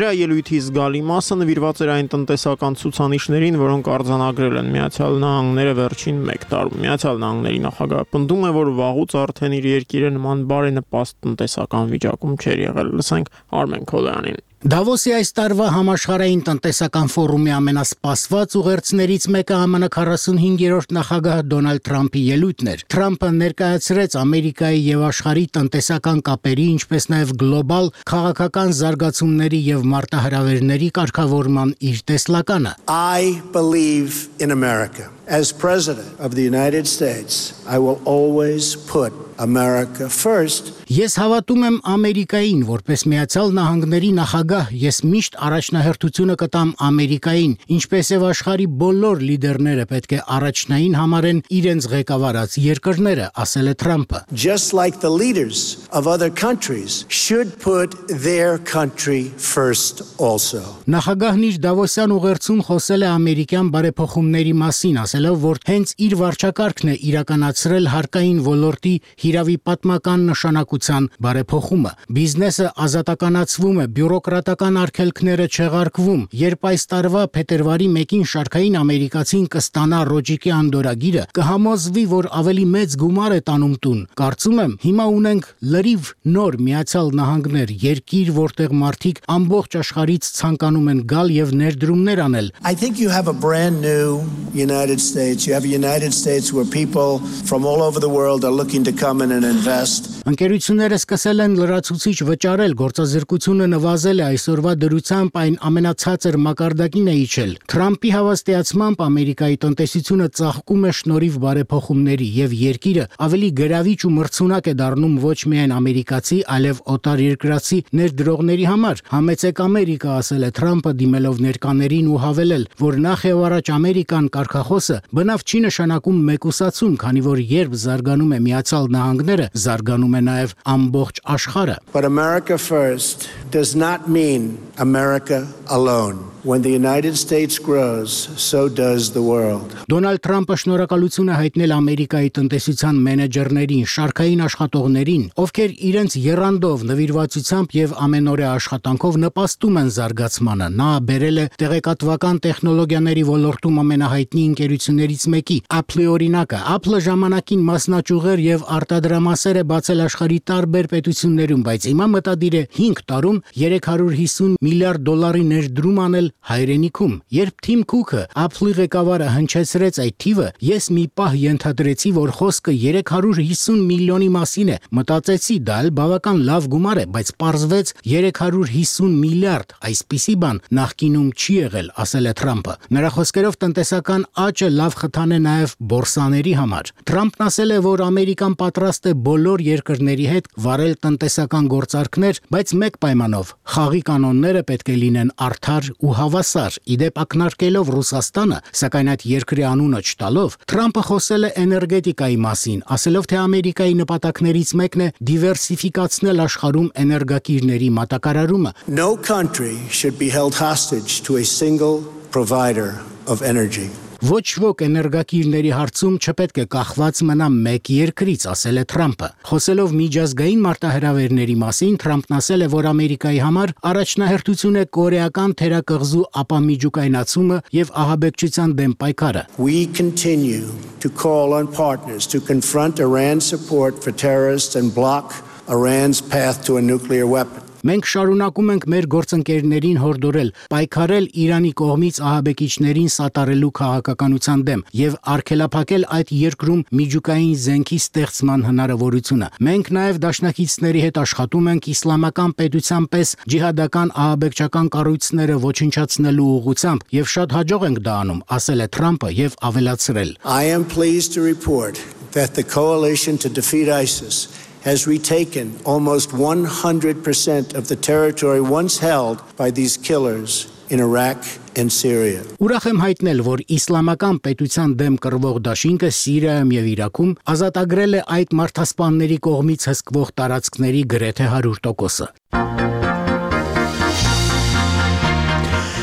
Նրա ելույթի զգալի մասը նվիրված էր այն տնտեսական ցուցանիշներին, որոնք արձանագրել են Միացյալ Նահանգները վերջին մեկ տարում։ Միացյալ Նահանգների նախագահը պնդում է, որ վաղուց արդեն իր երկիրը նման բարենպաստ տնտեսական վիճակում չէր եղել։ Լսենք Արմեն Քոլյանին։ Դավոսի այս տարվա համաշխարհային տնտեսական ֆորումի ամենասպասված ուղերձներից մեկը Է Մը Ն քառասունհինգերորդ նախագահ Դոնալդ Թրամփի ելույթն էր։ Թրամփը ներկայացրեց Ամերիկայի եւ աշխարհի տնտեսական կապերի, ինչպես նաեւ գլոբալ քաղաքական զարգացումների եւ մարտահրավերների կարգավորման իր տեսլականը։ I believe in America. As President of the United States, I will always put America first. Ես հավատում եմ Ամերիկային, որպես Միացյալ Նահանգների նախագահ, ես միշտ առաջնահերթությունը կտամ Ամերիկային, ինչպես եւ աշխարհի բոլոր լիդերները պետք է առաջնային համարեն իրենց ղեկավարած երկրները, ասել է Թրամփը. Just like the leaders of other countries should put their country first also. Նախագահն իր Դավոսյան ուղերձում խոսել է ամերիկյան բարեփոխումների մասին, ասելով, որ հենց իր վարչակարգն է իրականացրել հարկային ոլորտի հիրավի պատմական նշանակության բարեփոխումը։ Բիզնեսը ազատականացվում է, բյուրոկրատական արգելքները չեղարկվում։ Երբ այս տարվա փետրվարի մեկին շարքային ամերիկացին կստանա Ռոջիկի անդորագիրը, կհամոզվի, որ ավելի մեծ գումար է տանում տուն։ Կարծում եմ, հիմա ունենք լրիվ նոր Միացյալ Նահանգներ, երկիր, որտեղ մարդիկ ամբողջ աշխարհից ցանկանում են գալ եւ ներդրումներ անել։ I think you have a brand new United States. You have a United States where people from all over the world are looking to come in and invest. Ընկերությունները սկսել են լրացուցիչ վճարել, գործազրկությունը նվազել է, այսօրվա դրությամբ այն ամենացածր մակարդակին է իջել։ Թրամփի հավաստիացմամբ Ամերիկայի տնտեսությունը ծաղկում է շնորհիվ բարեփոխումների եւ երկիրը ավելի գրավիչ ու մրցունակ է դառնում ոչ միայն ամերիկացի, այլև օտար երկրացի ներդրողների համար։ Համեցեք Ամերիկա, ասել է Թրամփը դիմելով ներկաներին ու հավելել, որ նախ եւ առաջ Ամերիկան կարգախոսը բնավ չի նշանակում մեկուսացում, քանի որ երբ զարգանում է Միացյալ Նահանգները, զարգանում է նաեւ ամբողջ աշխարհը։ But America first does not mean America alone. When the United States grows, so does the world. Դոնալդ Թրամփը շնորհակալություն է հայտնել Ամերիկայի տնտեսության մենեջերներին, շարքային աշխատողներին, ովքեր իրենց եռանդով, նվիրվածությամբ եւ ամենօրյա աշխատանքով նպաստում են զարգացմանը։ Նա բերել է տեղեկատվական տեխնոլոգիաների ոլորտում ամենահայտնի ընկերություններից մեկի Apple-ի օրինակը։ Apple-ը ժամանակին մասնաճյուղեր եւ արտադրամասեր է բացել աշխարհի տարբեր պետություններում, բայց հիմա մտադիր է հինգ տարում երեք հարյուր հիսուն միլիարդ դոլարի ներդրում անել հայրենիքում։ Երբ Թիմ Քուքը Apple-ի ղեկավարը հնչեցրեց այդ թիվը, ես մի պահ ենթադրեցի, որ խոսքը երեք հարյուր հիսուն միլիոնի մասին է։ Մտածեցի, դա էլ բավական լավ գումար է, բայց պարզվեց երեք հարյուր հիսուն միլիարդ, այսպիսի բան նախկինում չի եղել, ասել է Թրամփը։ Նրա խոսքերով տնտեսական աճը լավ խթան է նաև բորսաների համար։ Թրամփն ասել է, որ Ամերիկան պատրաստ է բոլոր երկրների հետ վարել տնտեսական գործարքներ, բայց մեկ պայմանով՝ խաղի կանոնները պետք է լինեն արդար ու հավասար։ Իդեպ ակնարկելով Ռուսաստանը, սակայն այդ երկրի անունը չտալով, Թրամփը խոսել է էներգետիկայի մասին, ասելով, թե Ամերիկայի նպատակներից մեկն է դիվերսիֆիկացնել աշխարհում էներգակիրների մատակարարումը։ No country should be held hostage to a single provider of energy. Ոչ ոք էներգակիրների հարցում չպետք է կախված մնա մեկ երկրից, ասել է Թրամփը։ Խոսելով միջազգային մարտահրավերների մասին, Թրամփն ասել է, որ Ամերիկայի համար առաջնահերթություն է կորեական թերակղզու ապամիջուկայնացումը եւ ահաբեկչության դեմ պայքարը։ We continue to call on partners to confront Iran's support for terrorists and block Iran's path to a nuclear weapon. Մենք շարունակում ենք մեր գործընկերներին հորդորել պայքարել Իրանի կողմից ահաբեկիչներին սատարելու քաղաքականության դեմ եւ արգելափակել այդ երկրում միջուկային զենքի ստեղծման հնարավորությունը։ Մենք նաեւ դաշնակիցների հետ աշխատում ենք իսլամական պետության պես ջիհադական ահաբեկչական կառույցները ոչնչացնելու ուղղությամբ եւ շատ հաջող ենք դա անում, ասել է Թրամփը եւ ավելացրել. I am pleased to report that the coalition to defeat ISIS has retaken almost one hundred percent of the territory once held by these killers in Iraq and Syria. Ուրախ եմ հայտնել, որ իսլամական պետության դեմ կռվող դաշինքը Սիրիայում եւ Իրաքում ազատագրել է այդ մարդասպանների կողմից հսկվող տարածքների գրեթե հարյուր տոկոսը։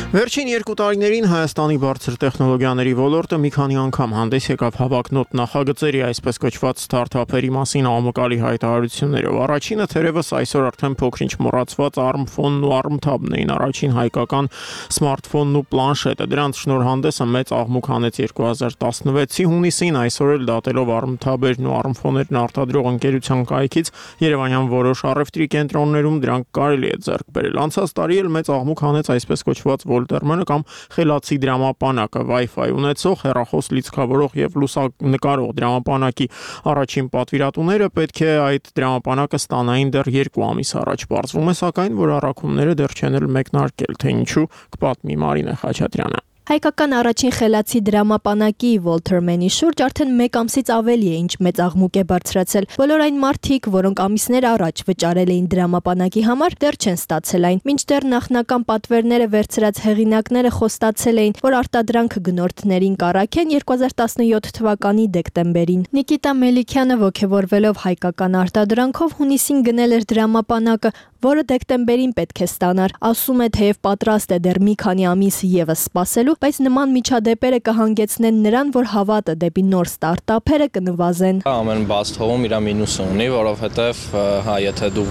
Վերջին երկու տարիներին Հայաստանի բարձր տեխնոլոգիաների ոլորտը մի քանի անգամ հանդես եկավ հավակնոտ նախագծերի, այսպես կոչված ստարտափերի մասին աղմկալի հայտարարություններով։ Առաջինը թերևս այսօր արդեն փոքրինչ մոռացված ARM-ֆոնն ու ARM-Tab-ն էին, առաջին հայկական սմարթֆոնն ու պլանշետը։ Դրանց շնորհանդեսը մեծ աղմուկ հանեց երկու հազար տասնվեցի հունիսին, այսօր էլ դատելով ARM-Tab-երն ու ARM-ֆոներն արտադրող ընկերության կայքից Երևանյան որոշ առևտրի կենտրոններում դրանք կարելի է ձեռք բերել։ Անցած տարի էլ մեծ աղմուկ հանեց այսպես կոչված Voltermանը կամ խելացի դրամապանակը, Wi-Fi ունեցող, հեռախոս լիցքավորող եւ լուսանկարող դրամապանակի առաջին պատվիրատուները պետք է այդ դրամապանակը ստանային դեռ երկու ամիս առաջ։ Պարզվում է սակայն, որ առաքումները դեռ չեն էլ մեկնարկել, թե ինչու կպատմի Մարինե Խաչատրյանը։ Հայկական առաջին խելացի դրամապանակի Walter-Mann-ի շուրջ արդեն մեկ ամսից ավելի է ինչ մեծ աղմուկ է բարձրացել։ Բոլոր այն մարդիկ, որոնք ամիսներ առաջ վճարել էին դրամապանակի համար, դեռ չեն ստացել այն։ Մինչդեռ նախնական պատվերները վերցրած հեղինակները խոստացել էին, որ արտադրանքը գնորդներին կառաքեն երկու հազար տասնյոթ թվականի դեկտեմբերին։ Նիկիտա Մելիքյանը ոգևորվելով հայկական արտադրանքով հունիսին գնել էր դրամապանակը, որը դեկտեմբերին պետք է ստանար։ Ասում է, թեև պատրաստ է դեռ մի քանի ամիս եւս սպասելու, բայց նման միջադեպերը կհանգեցնեն նրան, որ հավատը դեպի նոր ստարտափերը կնվազեն։ Ամեն բաց թողում իր մինուսը ունի, որովհետեւ հա, եթե դու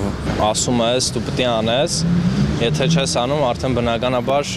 ասում ես, դու պետք է անես, եթե չես անում, արդեն բնականաբար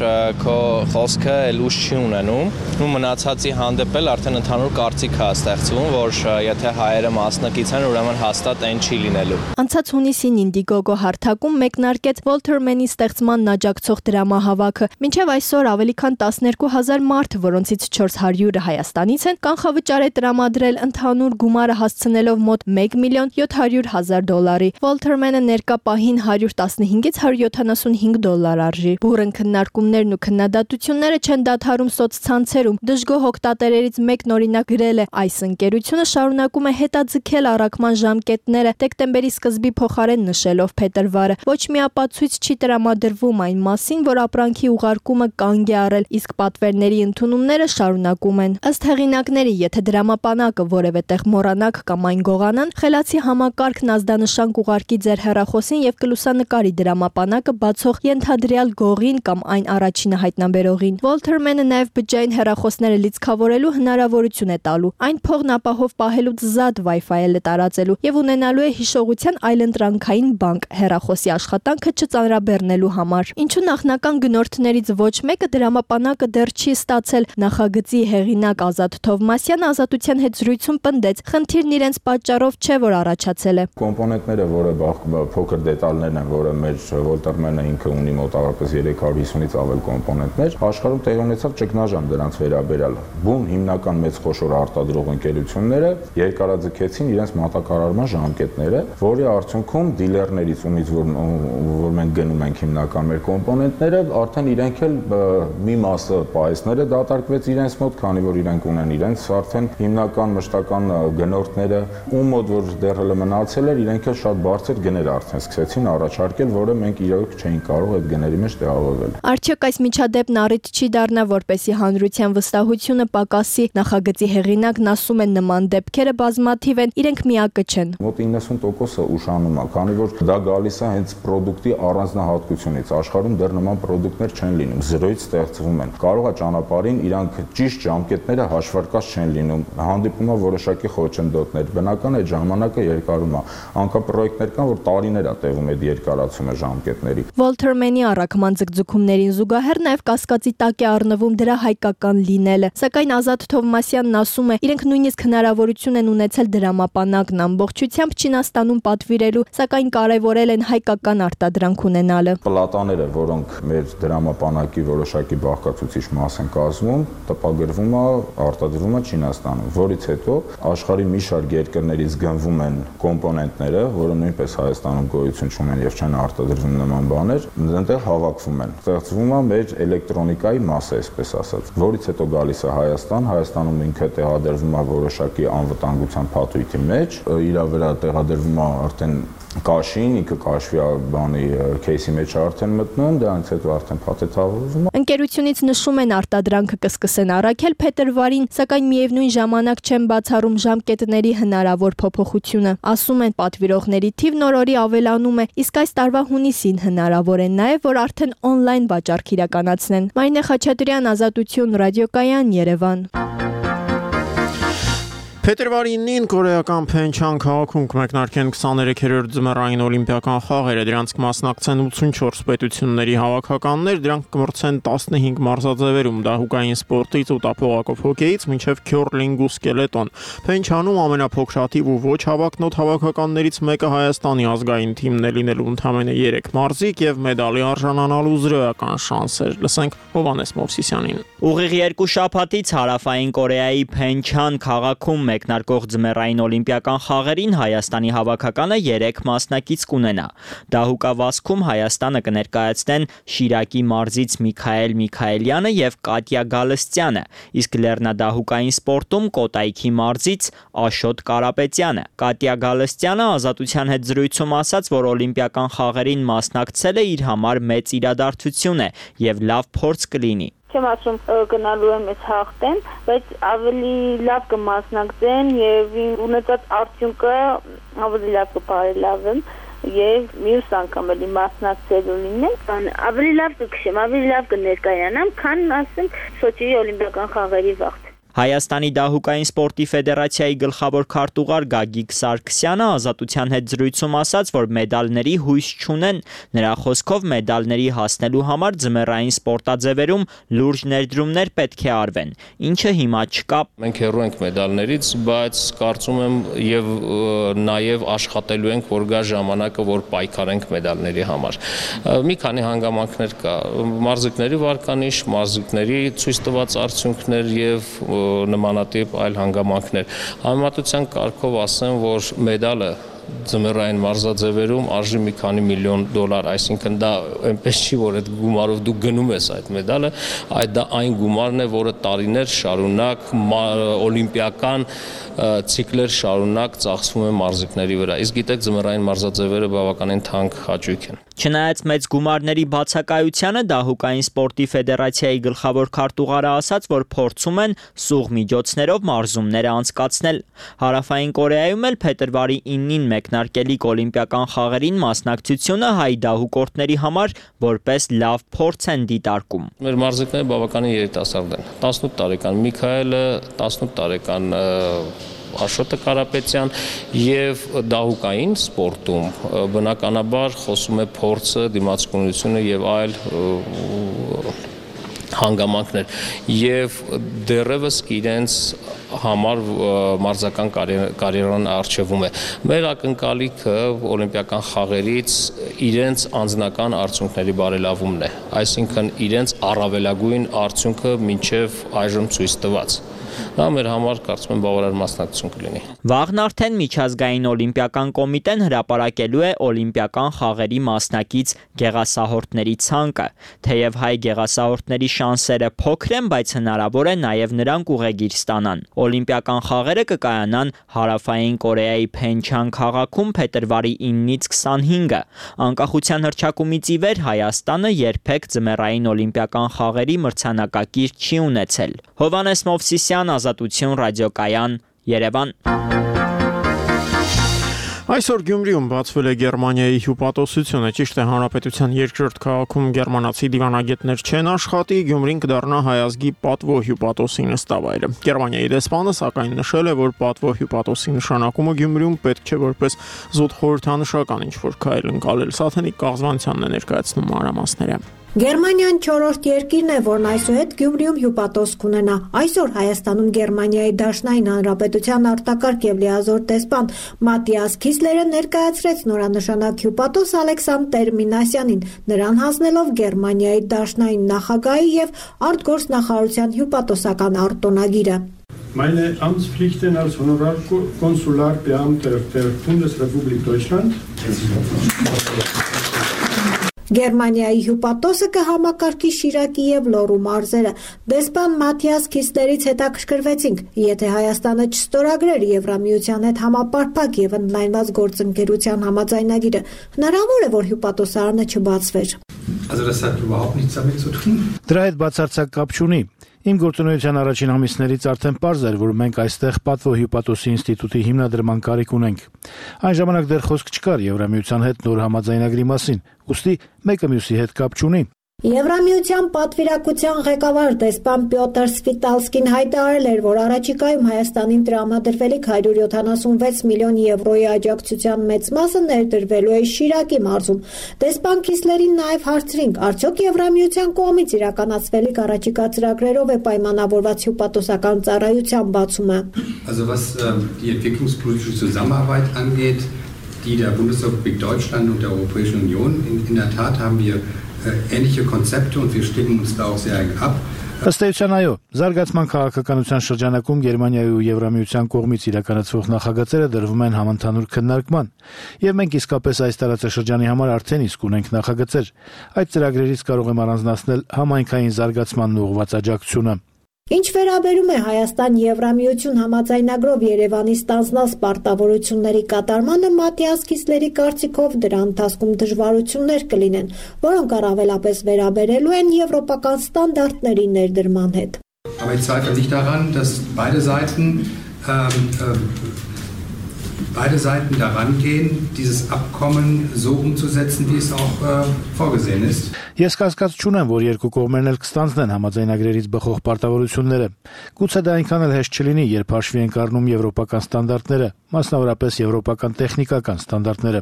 քո խոսքը լույս չի ունենում, ու մնացածի հանդեպ էլ արդեն ընդհանուր կարծիք է ստեղծվում, որ եթե հայերը մասնակից են, ուրեմն հաստատ այն չի լինելու։ Անցած հունիսին Indiegogo հարթակում մեկնարկեց Walter-Mann-ի ստեղծմանն աջակցող դրամահավաքը։ Մինչև այսօր ավելի քան տասներկու հազար մարդ, որոնցից չորս հարյուրը Հայաստանից են, կանխավճար է տրամադրել ընդհանուր գումարը հասցնելով մոտ մեկ միլիոն յոթ հարյուր հազար դոլարի։ Walter-Mann-ը ներկա պահին հարյուր տասնհինգից հարյուր յոթանասունհինգ դոլար արժի։ Բուրըն քննարկումներն ու քննադատությունները չեն դադարում սոցցանցերում։ Դժգոհ օգտատերերից մեկն օրինակ գրել է. այս ընկերությունը շարունակում է հետաձգել առաքման ժամկետները, դեկտեմբերի սկզբի փոխարեն նշելով փետրվարը։ Ոչ մի ապացույց չի տրամադրվում այն մասին, որ ապրանքի ուղարկումը կանգ է առել, իսկ պատվերների ընդունումները շարունակում են։ Ըստ հեղինակների, եթե դրամապանակը որևէ տեղ մոռանաք կամ այն գողանան, խելացի համակարգն ազդանշան կուղարկի ձեր հեռախոսին եւ կլուսանկարի դրամապանակը բացող ենթադրյալ գողին կամ այն առաջինը հայտնաբերողին։ Walter-Mann-ը նաև բջջային հեռախոսները լիցքավորելու հնարավորություն է տալու։ Այն փողն ապահով պահելուց զատ Wi-Fi-ել է տարածելու եւ ունենալու է հիշողության այլընտրանքային բանկ հեռախոսի աշխատանքը չծանրաբեռնելու համար։ Ինչու նախնական գնորդներից ոչ մեկը դրամապանակը դեռ չի ստացել։ Նախագծի հեղինակ Ազատ Թովմասյանը Ազատության հետ զրույցում պնդեց, խնդիրն իրենց պատճառով չէ, որ առաջացել է։ Կոմպոնենտները, որը փոքր դետալներն են, որը մեր Walter-Mann-ը ինքը ունի մոտավորապես երեք հարյուր հիսունից ավել կոմպոնենտներ, աշխարհում տեղի ունեցավ ճգնաժամ դրանց վերաբերյալ։ Բուն հիմնական մեծ խոշոր արտադրող ընկերությունները երկարաձգեցին իրենց մատակարարման ժամկետները, որի արդյունքում դիլերներից ումից որ, որ մենք գնում ենք հիմնական մեր կոմպոնենտները, արդեն իրենք էլ մի մասը պահեսները դատարկվեց իրենց մոտ, քանի որ իրենք ունեն իրենց արդեն հիմնական մշտական գնորդները, ում մոտ որ դեռ հələ մնացել էր, իրենք էլ շատ բարձր գներ արդեն սկսեցին առաջարկել, որը մենք իրոք չէինք կարող այդ գների մեջ տեղավորվել։ Արդյոք այս միջադեպն առիթ չի դառնա, որպեսզի հանրության վստահությունը պակասի։ Նախագծի հեղինակն ասում է, նման դեպքերը բազմաթիվ են, իրենք միակը չեն։ Մոտ իննսուն տոկոսը ուշանում է, քանի որ դա գալիս է հենց product-ի առանձնահատկությունից։ Աշխարհում դեռ նման product-ներ չեն լինում, զրոյից ստեղծվում են։ Կարող է ճանապարհին իրանք ճիշտ ժամկետները հաշվարկած չեն լինում։ Հանդիպում է որոշակի խոչընդոտներ։ Բնական է ժամանակը երկարում է։ Անկամ պրոյեկտներ կան, որ տարիներ է տևում այդ երկարացումը ժամկետների։ Walter-Mann-ի առաքման ձգձգումներին զուգահեռ նաև կասկածի տակ է առնվում դրա հայկական լինելը։ Սակայն Ազատ Թովմասյանն ասում է, իրենք նույնիսկ հնարավորություն են ունեցել դրամապանակն ամբողջությամբ Չինաստանում պատվիրելու, սակայն կարևորել են հայկական արտադրանք ունենալը։ Պլատաները, որոնք մեր դրամապանակի որոշակի բաղկացուցիչ մաս են կազմում, տպագրվում է, արտադրվում է Չինաստանում, որից հետո աշխարհի մի շարք երկրներից գնվում են կոմպոնենտները, որը նույնպես Հայաստանում գոյություն չունեն եւ չեն արտադրվում նման բաներ, այնտեղ հավաքվում են։ Ստեղծվում է մեր էլեկտրոնիկայի մասը, այսպես ասած, որից հետո գալիս է Հայաստան, Հայաստանում ինքը տեղադրվում է որոշակի անվտանգության փաթույթի մեջ, իր վրա տեղադրվում է արդեն կաշին, ինքը կաշվի բանի քեյսի մեջ արդեն մտնում, դրանից հետո արդեն փաթեթավորվում է։ Ընկերությունից նշում են արտադրանքը կսկսեն առաքել փետրվարին, սակայն միևնույն ժամանակ չեն բացառում ժամկետների հնարավոր փոփոխությունը։ Ասում են, պատվիրողների թիվն օր-օրի ավելանում է, իսկ այս տարվա հունիսին հնարավոր է նաև, որ արդեն on-line վաճառք իրականացնեն։ Մարինե Խաչատրյան, Ազատություն, Ռադիոկայան, Երևան։ Փետրվարի ինին կորեական Փենչան քաղաքում կմեկնարկեն քսաներեքերորդ ձմեռային օլիմպիական խաղերը, դրանց կմասնակցեն ութսունչորս պետությունների հավաքականներ, դրանք կմրցեն տասնհինգ մարզաձևերում, դահուկային սպորտից ու տափողակով հոկեյից մինչև քյորլինգ ու սկելետոն։ Փենչանում ամենափոքրաթիվ ու ոչ հավակնոտ հավաքականներից մեկը Հայաստանի ազգային թիմն է լինելու ընդամենը երեք մարզիկ եւ մեդալի արժանանալու զրոյական շանսեր։ Լսենք Հովհաննես Մովսիսյանին։ Ուղիղ երկու շաբաթից Հարավային Կորեայի Փենչան քաղաքում մեկնարկող ձմեռային օլիմպիական խաղերին Հայաստանի հավաքականը երեք մասնակից կունենա։ Դահուկավազքում Հայաստանը կներկայացնեն Շիրակի մարզից Միքայել Միքայելյանը եւ Կատյա Գալստյանը, իսկ լեռնադահուկային սպորտում Կոտայքի մարզից Աշոտ Կարապետյանը։ Կատյա Գալստյանը Ազատության հետ զրույցում ասաց, որ օլիմպիական խաղերին մասնակցելը իր համար մեծ իրադարձություն է եւ լավ փորձ կլինի։ Չեմ ասում գնալու եմ ես հաղթեմ, բայց ավելի լավ կմասնակցեմ եւ ունեցած արդյունքը ավելի լավ կբարելավեմ եւ մյուս անգամ էլի մասնակցելու լինեմ, ավելի լավ կքշեմ, ավելի լավ կներկայանամ, քան ասեմ Սոչիի օլիմպիական խաղերի վաղ։ Հայաստանի դահուկային սպորտի ֆեդերացիայի գլխավոր քարտուղար Գագիկ Սարգսյանը Ազատության հետ զրույցում ասաց, որ մեդալների հույս չունեն։ Նրա խոսքով մեդալների հասնելու համար ձմեռային սպորտաձևերում լուրջ ներդրումներ պետք է արվեն, ինչը հիմա չկա։ Մենք հեռու ենք մեդալներից, բայց կարծում եմ եւ նաեւ աշխատելու ենք, որ գա ժամանակը, որ պայքարենք մեդալների համար։ Մի քանի հանգամանքներ կա՝ մարզիկների վարկանիշ, մարզիկների ցույց տված արդյունքներ եւ նմանատիպ այլ հանգամանքներ։ Համեմատության կարգով ասեմ, որ մեդալը ձմեռային մարզաձևերում արժի մի քանի միլիոն դոլար, այսինքն դա այնպես չի, որ այդ գումարով դու գնում ես այդ մեդալը, այդ դա այն գումարն է, որը տարիներ շարունակ օլիմպիական ցիկլեր շարունակ ծախսվում է մարզիկների վրա։ Իսկ գիտեք, ձմեռային մարզաձևերը բավականին թանկ հաճույք են։ Չնայած մեծ գումարների բացակայությանը Դահուկային սպորտի ֆեդերացիայի գլխավոր քարտուղարը ասաց, որ փորձում են սուղ միջոցներով մարզումները անցկացնել։ Հարավային Կորեայում էլ փետրվարի իննին մեկնարկելիք օլիմպիական խաղերին մասնակցությունը հայ դահուկորդների համար որպես լավ փորձ են դիտարկում։ Մեր մարզիկները բավականին երիտասարդ են։ տասնութ տարեկան Միքայելը, տասնութ տարեկան Աշոտը Կարապետյան եւ դահուկային սպորտում բնականաբար խոսում է փորձը, դիմացկունությունը եւ այլ հանգամանքներ եւ դեռևս իրենց համար մարզական կարիերան արժևում է։ Մեր ակնկալիքը օլիմպիական խաղերից իրենց անձնական արդյունքների բարելավումն է, այսինքն իրենց առավելագույն արդյունքը մինչև այժմ ցույց տված։ Դա մեր համար կարծում եմ բավարար մասնակցություն կլինի։ Վաղն արդեն միջազգային օլիմպիական կոմիտեն հրապարակելու է օլիմպիական խաղերի մասնակից գեղասահորդների ցանկը։ Թեև հայ գեղասահորդների շանսերը փոքր են, բայց հնարավոր է նաև նրանք ուղեգիր ստանան։ Օլիմպիական խաղերը կկայանան Հարավային Կորեայի Փենչան քաղաքում փետրվարի իննից քսանհինգը։ Անկախության հռչակումից ի վեր Հայաստանը երբեք ձմեռային օլիմպիական խաղերի մրցանակակիր չի ունեցել։ Հովհաննես Մովսիսյան, Ազատություն, ռադիոկայան, Երևան։ Այսօր Գյումրիում բացվել է Գերմանիայի հյուպատոսությունը, ճիշտ է հանրապետության երկրորդ քաղաքում գերմանացի դիվանագետներ չեն աշխատի, Գյումրին կդառնա հայ ազգի պատվո հյուպատոսի նստավայրը։ Գերմանիայի դեսպանը սակայն նշել է, որ պատվո հյուպատոսի նշանակումը Գյումրիում պետք չէ որպես զուտ խորհրդանշական ինչ-որ քայլ ընկալել։ Սաթենիկ Կաղզվանցյանն է ներկայացնում մանրամասները։ Գերմանիան չորրորդ երկիրն է, որն այսուհետ Գյումրիում հյուպատոս կունենա։ Այսօր Հայաստանում Գերմանիայի Դաշնային Հանրապետության արտակարգ եւ լիազոր դեսպան Մատիաս Քիսլերը ներկայացրեց նորանշանակ հյուպատոս Ալեքսանդր Մինասյանին, նրան հանձնելով Գերմանիայի Դաշնային նախագահի եւ արտգործնախարարության հյուպատոսական արտոնագիրը։ Meine Amtspflichten als Honorarkonsularbeamter der Bundesrepublik Deutschland Գերմանիայի հյուպատոսը կհամակարգի Շիրակի եւ Լոռու մարզերը։ Դեսպան Մաթիաս Քիսլերից հետաքրքրվեցինք, եթե Հայաստանը չստորագրեր Եվրամիության հետ համապարփակ եւ ընդլայնված գործընկերության համաձայնագիրը, հնարավոր է, որ հյուպատոսարանը չբացվեր։ Դրա հետ բացարձակ կապ չունի։ Իմ գործունեության առաջին ամիսներից արդեն պարզ էր, որ մենք այստեղ պատվո հյուպատոսի ինստիտուտի հիմնադրման կարիք ունենք։ Այն ժամանակ դեռ խոսք չկար Եվրամիության հետ նոր համաձայնագրի մասին, ուստի մեկը մյուսի հետ կապ չունի։ Եվրամիության պատվիրակության ղեկավար դեսպան Պյոտր Սվիտալսկին հայտարարել էր, որ առաջիկայում Հայաստանին տրամադրվելիք հարյուր յոթանասունվեց միլիոն եվրոյի աջակցության մեծ մասը ներդրվելու է Շիրակի մարզում։ Դեսպան Քիսլերին նաև հարցրինք, արդյոք Եվրամիության կողմից իրականացվելիք առաջիկա ծրագրերով է պայմանավորված հյուպատոսական ծառայության բացումը։ Also was die entwicklungspolitische Zusammenarbeit angeht, die der Bundesrepublik Deutschland und der Europäischen Union, in, in der Tat haben wir ähnliche Konzepte und wir stimmen uns da auch sehr eng ab. Ըստ էության այո, զարգացման քաղաքականության շրջանակում Գերմանիայի ու Եվրամիության կողմից իրականացվող նախագծերը դրվում են համընդհանուր քննարկման, եւ մենք իսկապես այս տարածաշրջանի համար արդեն իսկ ունենք նախագծեր։ Այդ ծրագրերից կարող եմ առանձնացնել համայնքային զարգացմանն ուղղված աջակցությունը։ Ինչ վերաբերում է Հայաստան-Եվրամիություն համաձայնագրով Երևանի ստանձնած պարտավորությունների կատարմանը, Մատիաս Քիսլերի կարծիքով դրա ընթացքում դժվարություններ կլինեն, որոնք առավելապես վերաբերելու են եվրոպական ստանդարտների ներդրման հետ։ Aber ich zweifle nicht daran, dass beide Seiten ähm, beide Seiten daran gehen, dieses Abkommen so umzusetzen, wie es auch äh, vorgesehen ist. Ես կասկած չունեմ, որ երկու կողմերն էլ կստանձնեն համաձայնագրերից բխող պարտավորությունները։ Գուցե դա այնքան էլ հեշտ չլինի, երբ հաշվի են առնում եվրոպական ստանդարտները, մասնավորապես եվրոպական տեխնիկական ստանդարտները։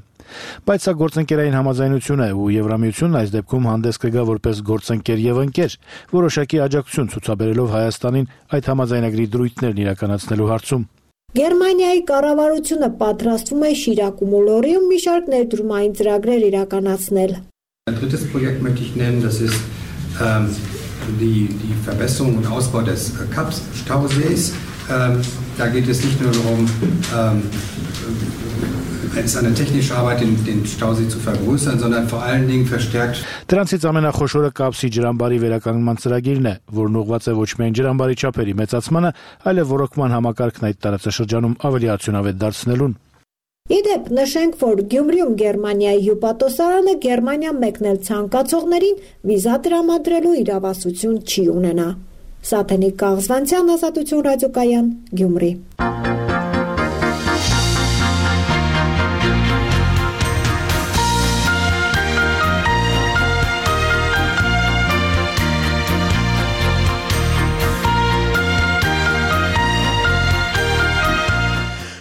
Բայց սա գործընկերային համաձայնություն է, ու Եվրամիությունն այս դեպքում հանդես կգա որպես գործընկեր եւ ընկեր, որոշակի աջակցություն ցուցաբերելով Հայաստանին այդ համաձայնագրի դրույթներն իրականացնելու հարցում։ Գերմանիայի կառավարությունը պատրաստվում է Շիրակում ու Լոռիում մի շարք ներդրումային ծրագրեր իրականացնել։ Ein drittes Projekt möchte ich nennen, das ist ähm, die, die Verbesserung und Ausbau des äh, Kapp-Stausees. Ähm, da geht es nicht nur darum, ähm, es ist eine technische Arbeit, den, den Stausee zu vergrößern, sondern vor allen Dingen verstärkt. Դրանցից ամենախոշորը Կապսի ջրամբարի վերականգնման ծրագիրն է, որն ուղղված է ոչ միայն ջրամբարի չափերի մեծացմանը, այլև ռոռոկման համակարգն այդ տարածաշրջանում ավելի արդյունավետ դարձնելուն։ Իդեպ նշենք, որ Գյումրիում Գերմանիայի հյուպատոսարանը Գերմանիա մեկնել ցանկացողներին վիզա տրամադրելու իրավասություն չի ունենա։ Սաթենիկ Կաղզվանցյան, Ազատություն ռադիոկայան, Գյումրի։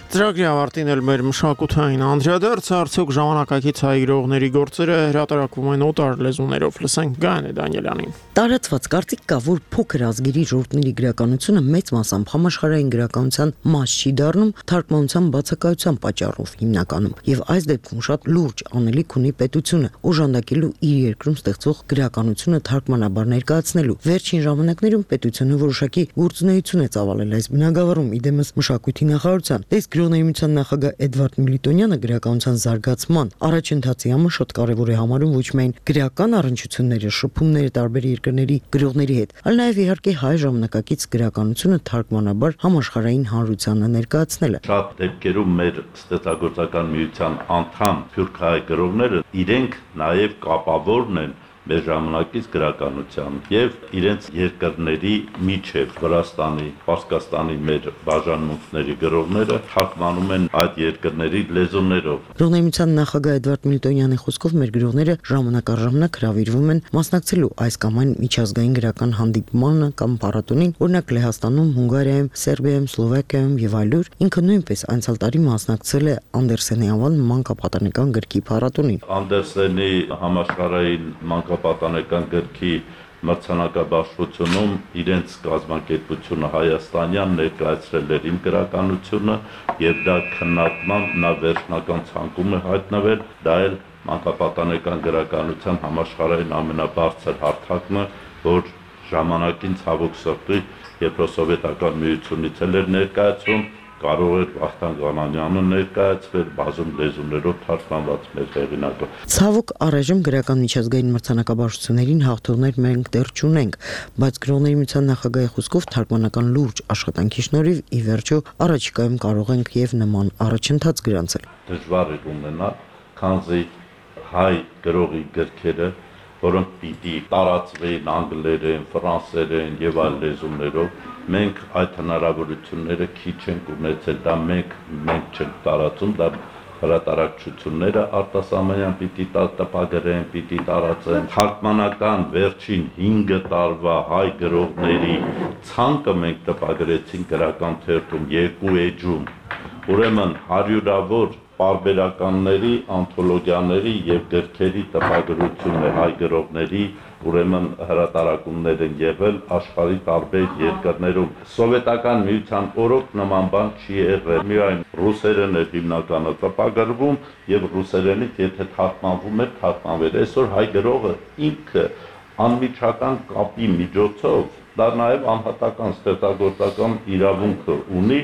Ծրագրի ավարտին էլ մեր մշակութային անդրադարձ, արդյոք ժամանակակից հայ գրողների գործերը հրատարակվում են օտար լեզուներով, լսենք Գայանե Դանիելյանին։ Տարածված կարծիք կա, որ փոքր ազգերի ժողովուրդների գրականությունը մեծ մասամբ համաշխարհային գրականության մաս չի դառնում թարգմանության բացակայության պատճառով հիմնականում, եւ այս դեպքում շատ լուրջ անելիք ունի պետությունը օժանդակելու իր երկրում ստեղծվող գրականությունը թարգմանաբար ներկայացնելու։ Վերջին ժամանակներում պետությունը որոշակի գործունեություն է ծավալել այս բնագավառում, իդեմս մշակույթի նախարարության։ Գրողների նախագահ Էդվարդ Միլիտոնյանը գրականության զարգացման առաջընթացի համար շատ կարևոր է համարում ոչ միայն գրական առնչությունները, շփումները տարբեր երկրների գրողների հետ, այլ նաև իհարկե հայ ժամանակակից գրականությունը թարգմանաբար համաշխարհային հանրությանը ներկայացնելը։ Շատ դեպքերում մեր ստեղծագործական միության անդամ սփյուռք հայ գրողները իրենք նաև կապավորն են մեր ժամանակից գրականության եւ իրենց երկրների միջև Վրաստանի, Պարսկաստանի մեր բաժանմունքների գրողները թարգմանում են այդ երկրների լեզուներով։ Գրողների նախագահ Էդվարդ Միլիտոնյանի խոսքով մեր գրողները ժամանակ առ ժամանակ հրավիրվում են մասնակցելու այս կամ այն միջազգային գրական հանդիպմանը կամ փառատոնին, օրինակ Լեհաստանում, Հունգարիայում, Սերբիայում, Սլովակիայում եւ այլուր։ Ինքը նույնպես անցյալ տարի մասնակցել է Անդերսենի անվան մանկապատանեկան գրքի փառատոնին։ Անդերսենի համաշխարհային մանկապատանեկան գրքի մրցանակաբաշխությունում իրենց կազմակերպությունը հայաստանյան ներկայացրել էր իմ գրականությունը եւ դա քննարկման նա վերջնական ցանկում է հայտնվել, դա էլ մանկապատանեկան գրականության համաշխարհային ամենաբարձր հարթակն է, որ ժամանակին ցավոք սրտի Եվրոսովետական միությունից էլ էր ներկայացում, կարող էր Վախթանգ Ղանանյանը ներկայացվել բազում լեզուներով թարգմանված մեր հեղինակը։ Ցավոք առայժմ գրական միջազգային մրցանակաբաշխություններին հաղթողներ մենք դեռ չունենք, բայց գրողների միության նախագահի խոսքով թարգմանական լուրջ աշխատանքի շնորհիվ ի վերջո առաջիկայում կարող ենք եւ նման առաջընթաց գրանցել։ Դժվար է ունենալ, քանզի հայ գրողի գրքերը, որոնք պիտի տարածվեին անգլերեն, ֆրանսերեն եւ այլ լեզուներով, մենք այդ հնարավորությունները քիչ ենք ունեցել, դա մենք մենք չենք տարածում, դա հրատարակչությունները արտասահմանյան պիտի տպագրեն, պիտի տարածեն։ Թարգմանական վերջին հինգ տարվա հայ գրողների ցանկը մենք տպագրեցինք գրական թերթում երկու էջում, ուրեմն հարյուրավոր պարբերականների, անթոլոգիաների եւ գրքերի տպագրություն է հայ գրողների, ուրեմն հրատարակումներ են եղել աշխարհի տարբեր երկրներում։ Սովետական միության օրոք նման բան չի եղել։ Միայն ռուսերեն է հիմնականը տպագրվում եւ ռուսերենից եթե թարգմանվում է, թարգմանվել։ Այսօր հայ գրողը ինքը անմիջական կապի միջոցով դա նաև անհատական ստեղծագործական իրավունքը ունի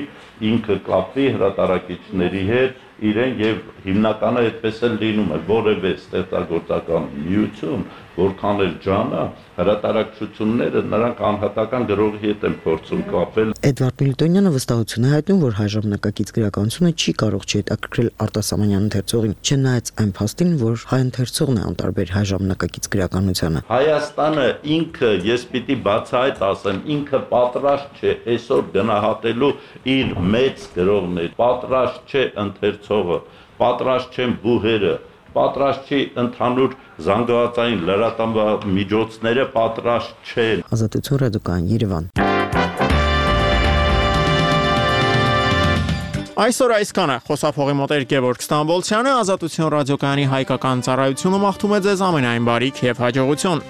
ինքը կապի հրատարակիչների հետ իրեն եւ հիմնականը այդպես էլ լինում է որևէ ստեղծագործական միություն որքան էլ ջանա հրատարակչությունները նրանք անհատական գրողի հետ են փորձում կապել Էդվարդ Միլտոնյանը վստահություն է հայտնում որ հայ ժամանակակից գրականությունը չի կարող չհետաքրքրել Արտասամանյան ընթերցողին չնայած այն փաստին որ հայ ընթերցողն է անտարբեր հայ ժամանակակից գրականությանը Հայաստանը ինքը ես պիտի բացահայտ ասեմ ինքը պատրաստ չէ այսօր գնահատելու իր մեծ գրողներ պատրաստ չէ ընթերցողը պատրաստ չեն բուհերը պատրաստ չի ընդհանուր զանգվածային լրատվամիջոցները պատրաստ չեն Ազատություն ռադիոկայան Երևան Այսօր այսքանը խոսափողի մոտ էր Գևորգ Ստամբոլցյանը Ազատություն ռադիոկայանի հայկական ծառայությունը մաղթում է ձեզ ամենայն բարիք եւ հաջողություն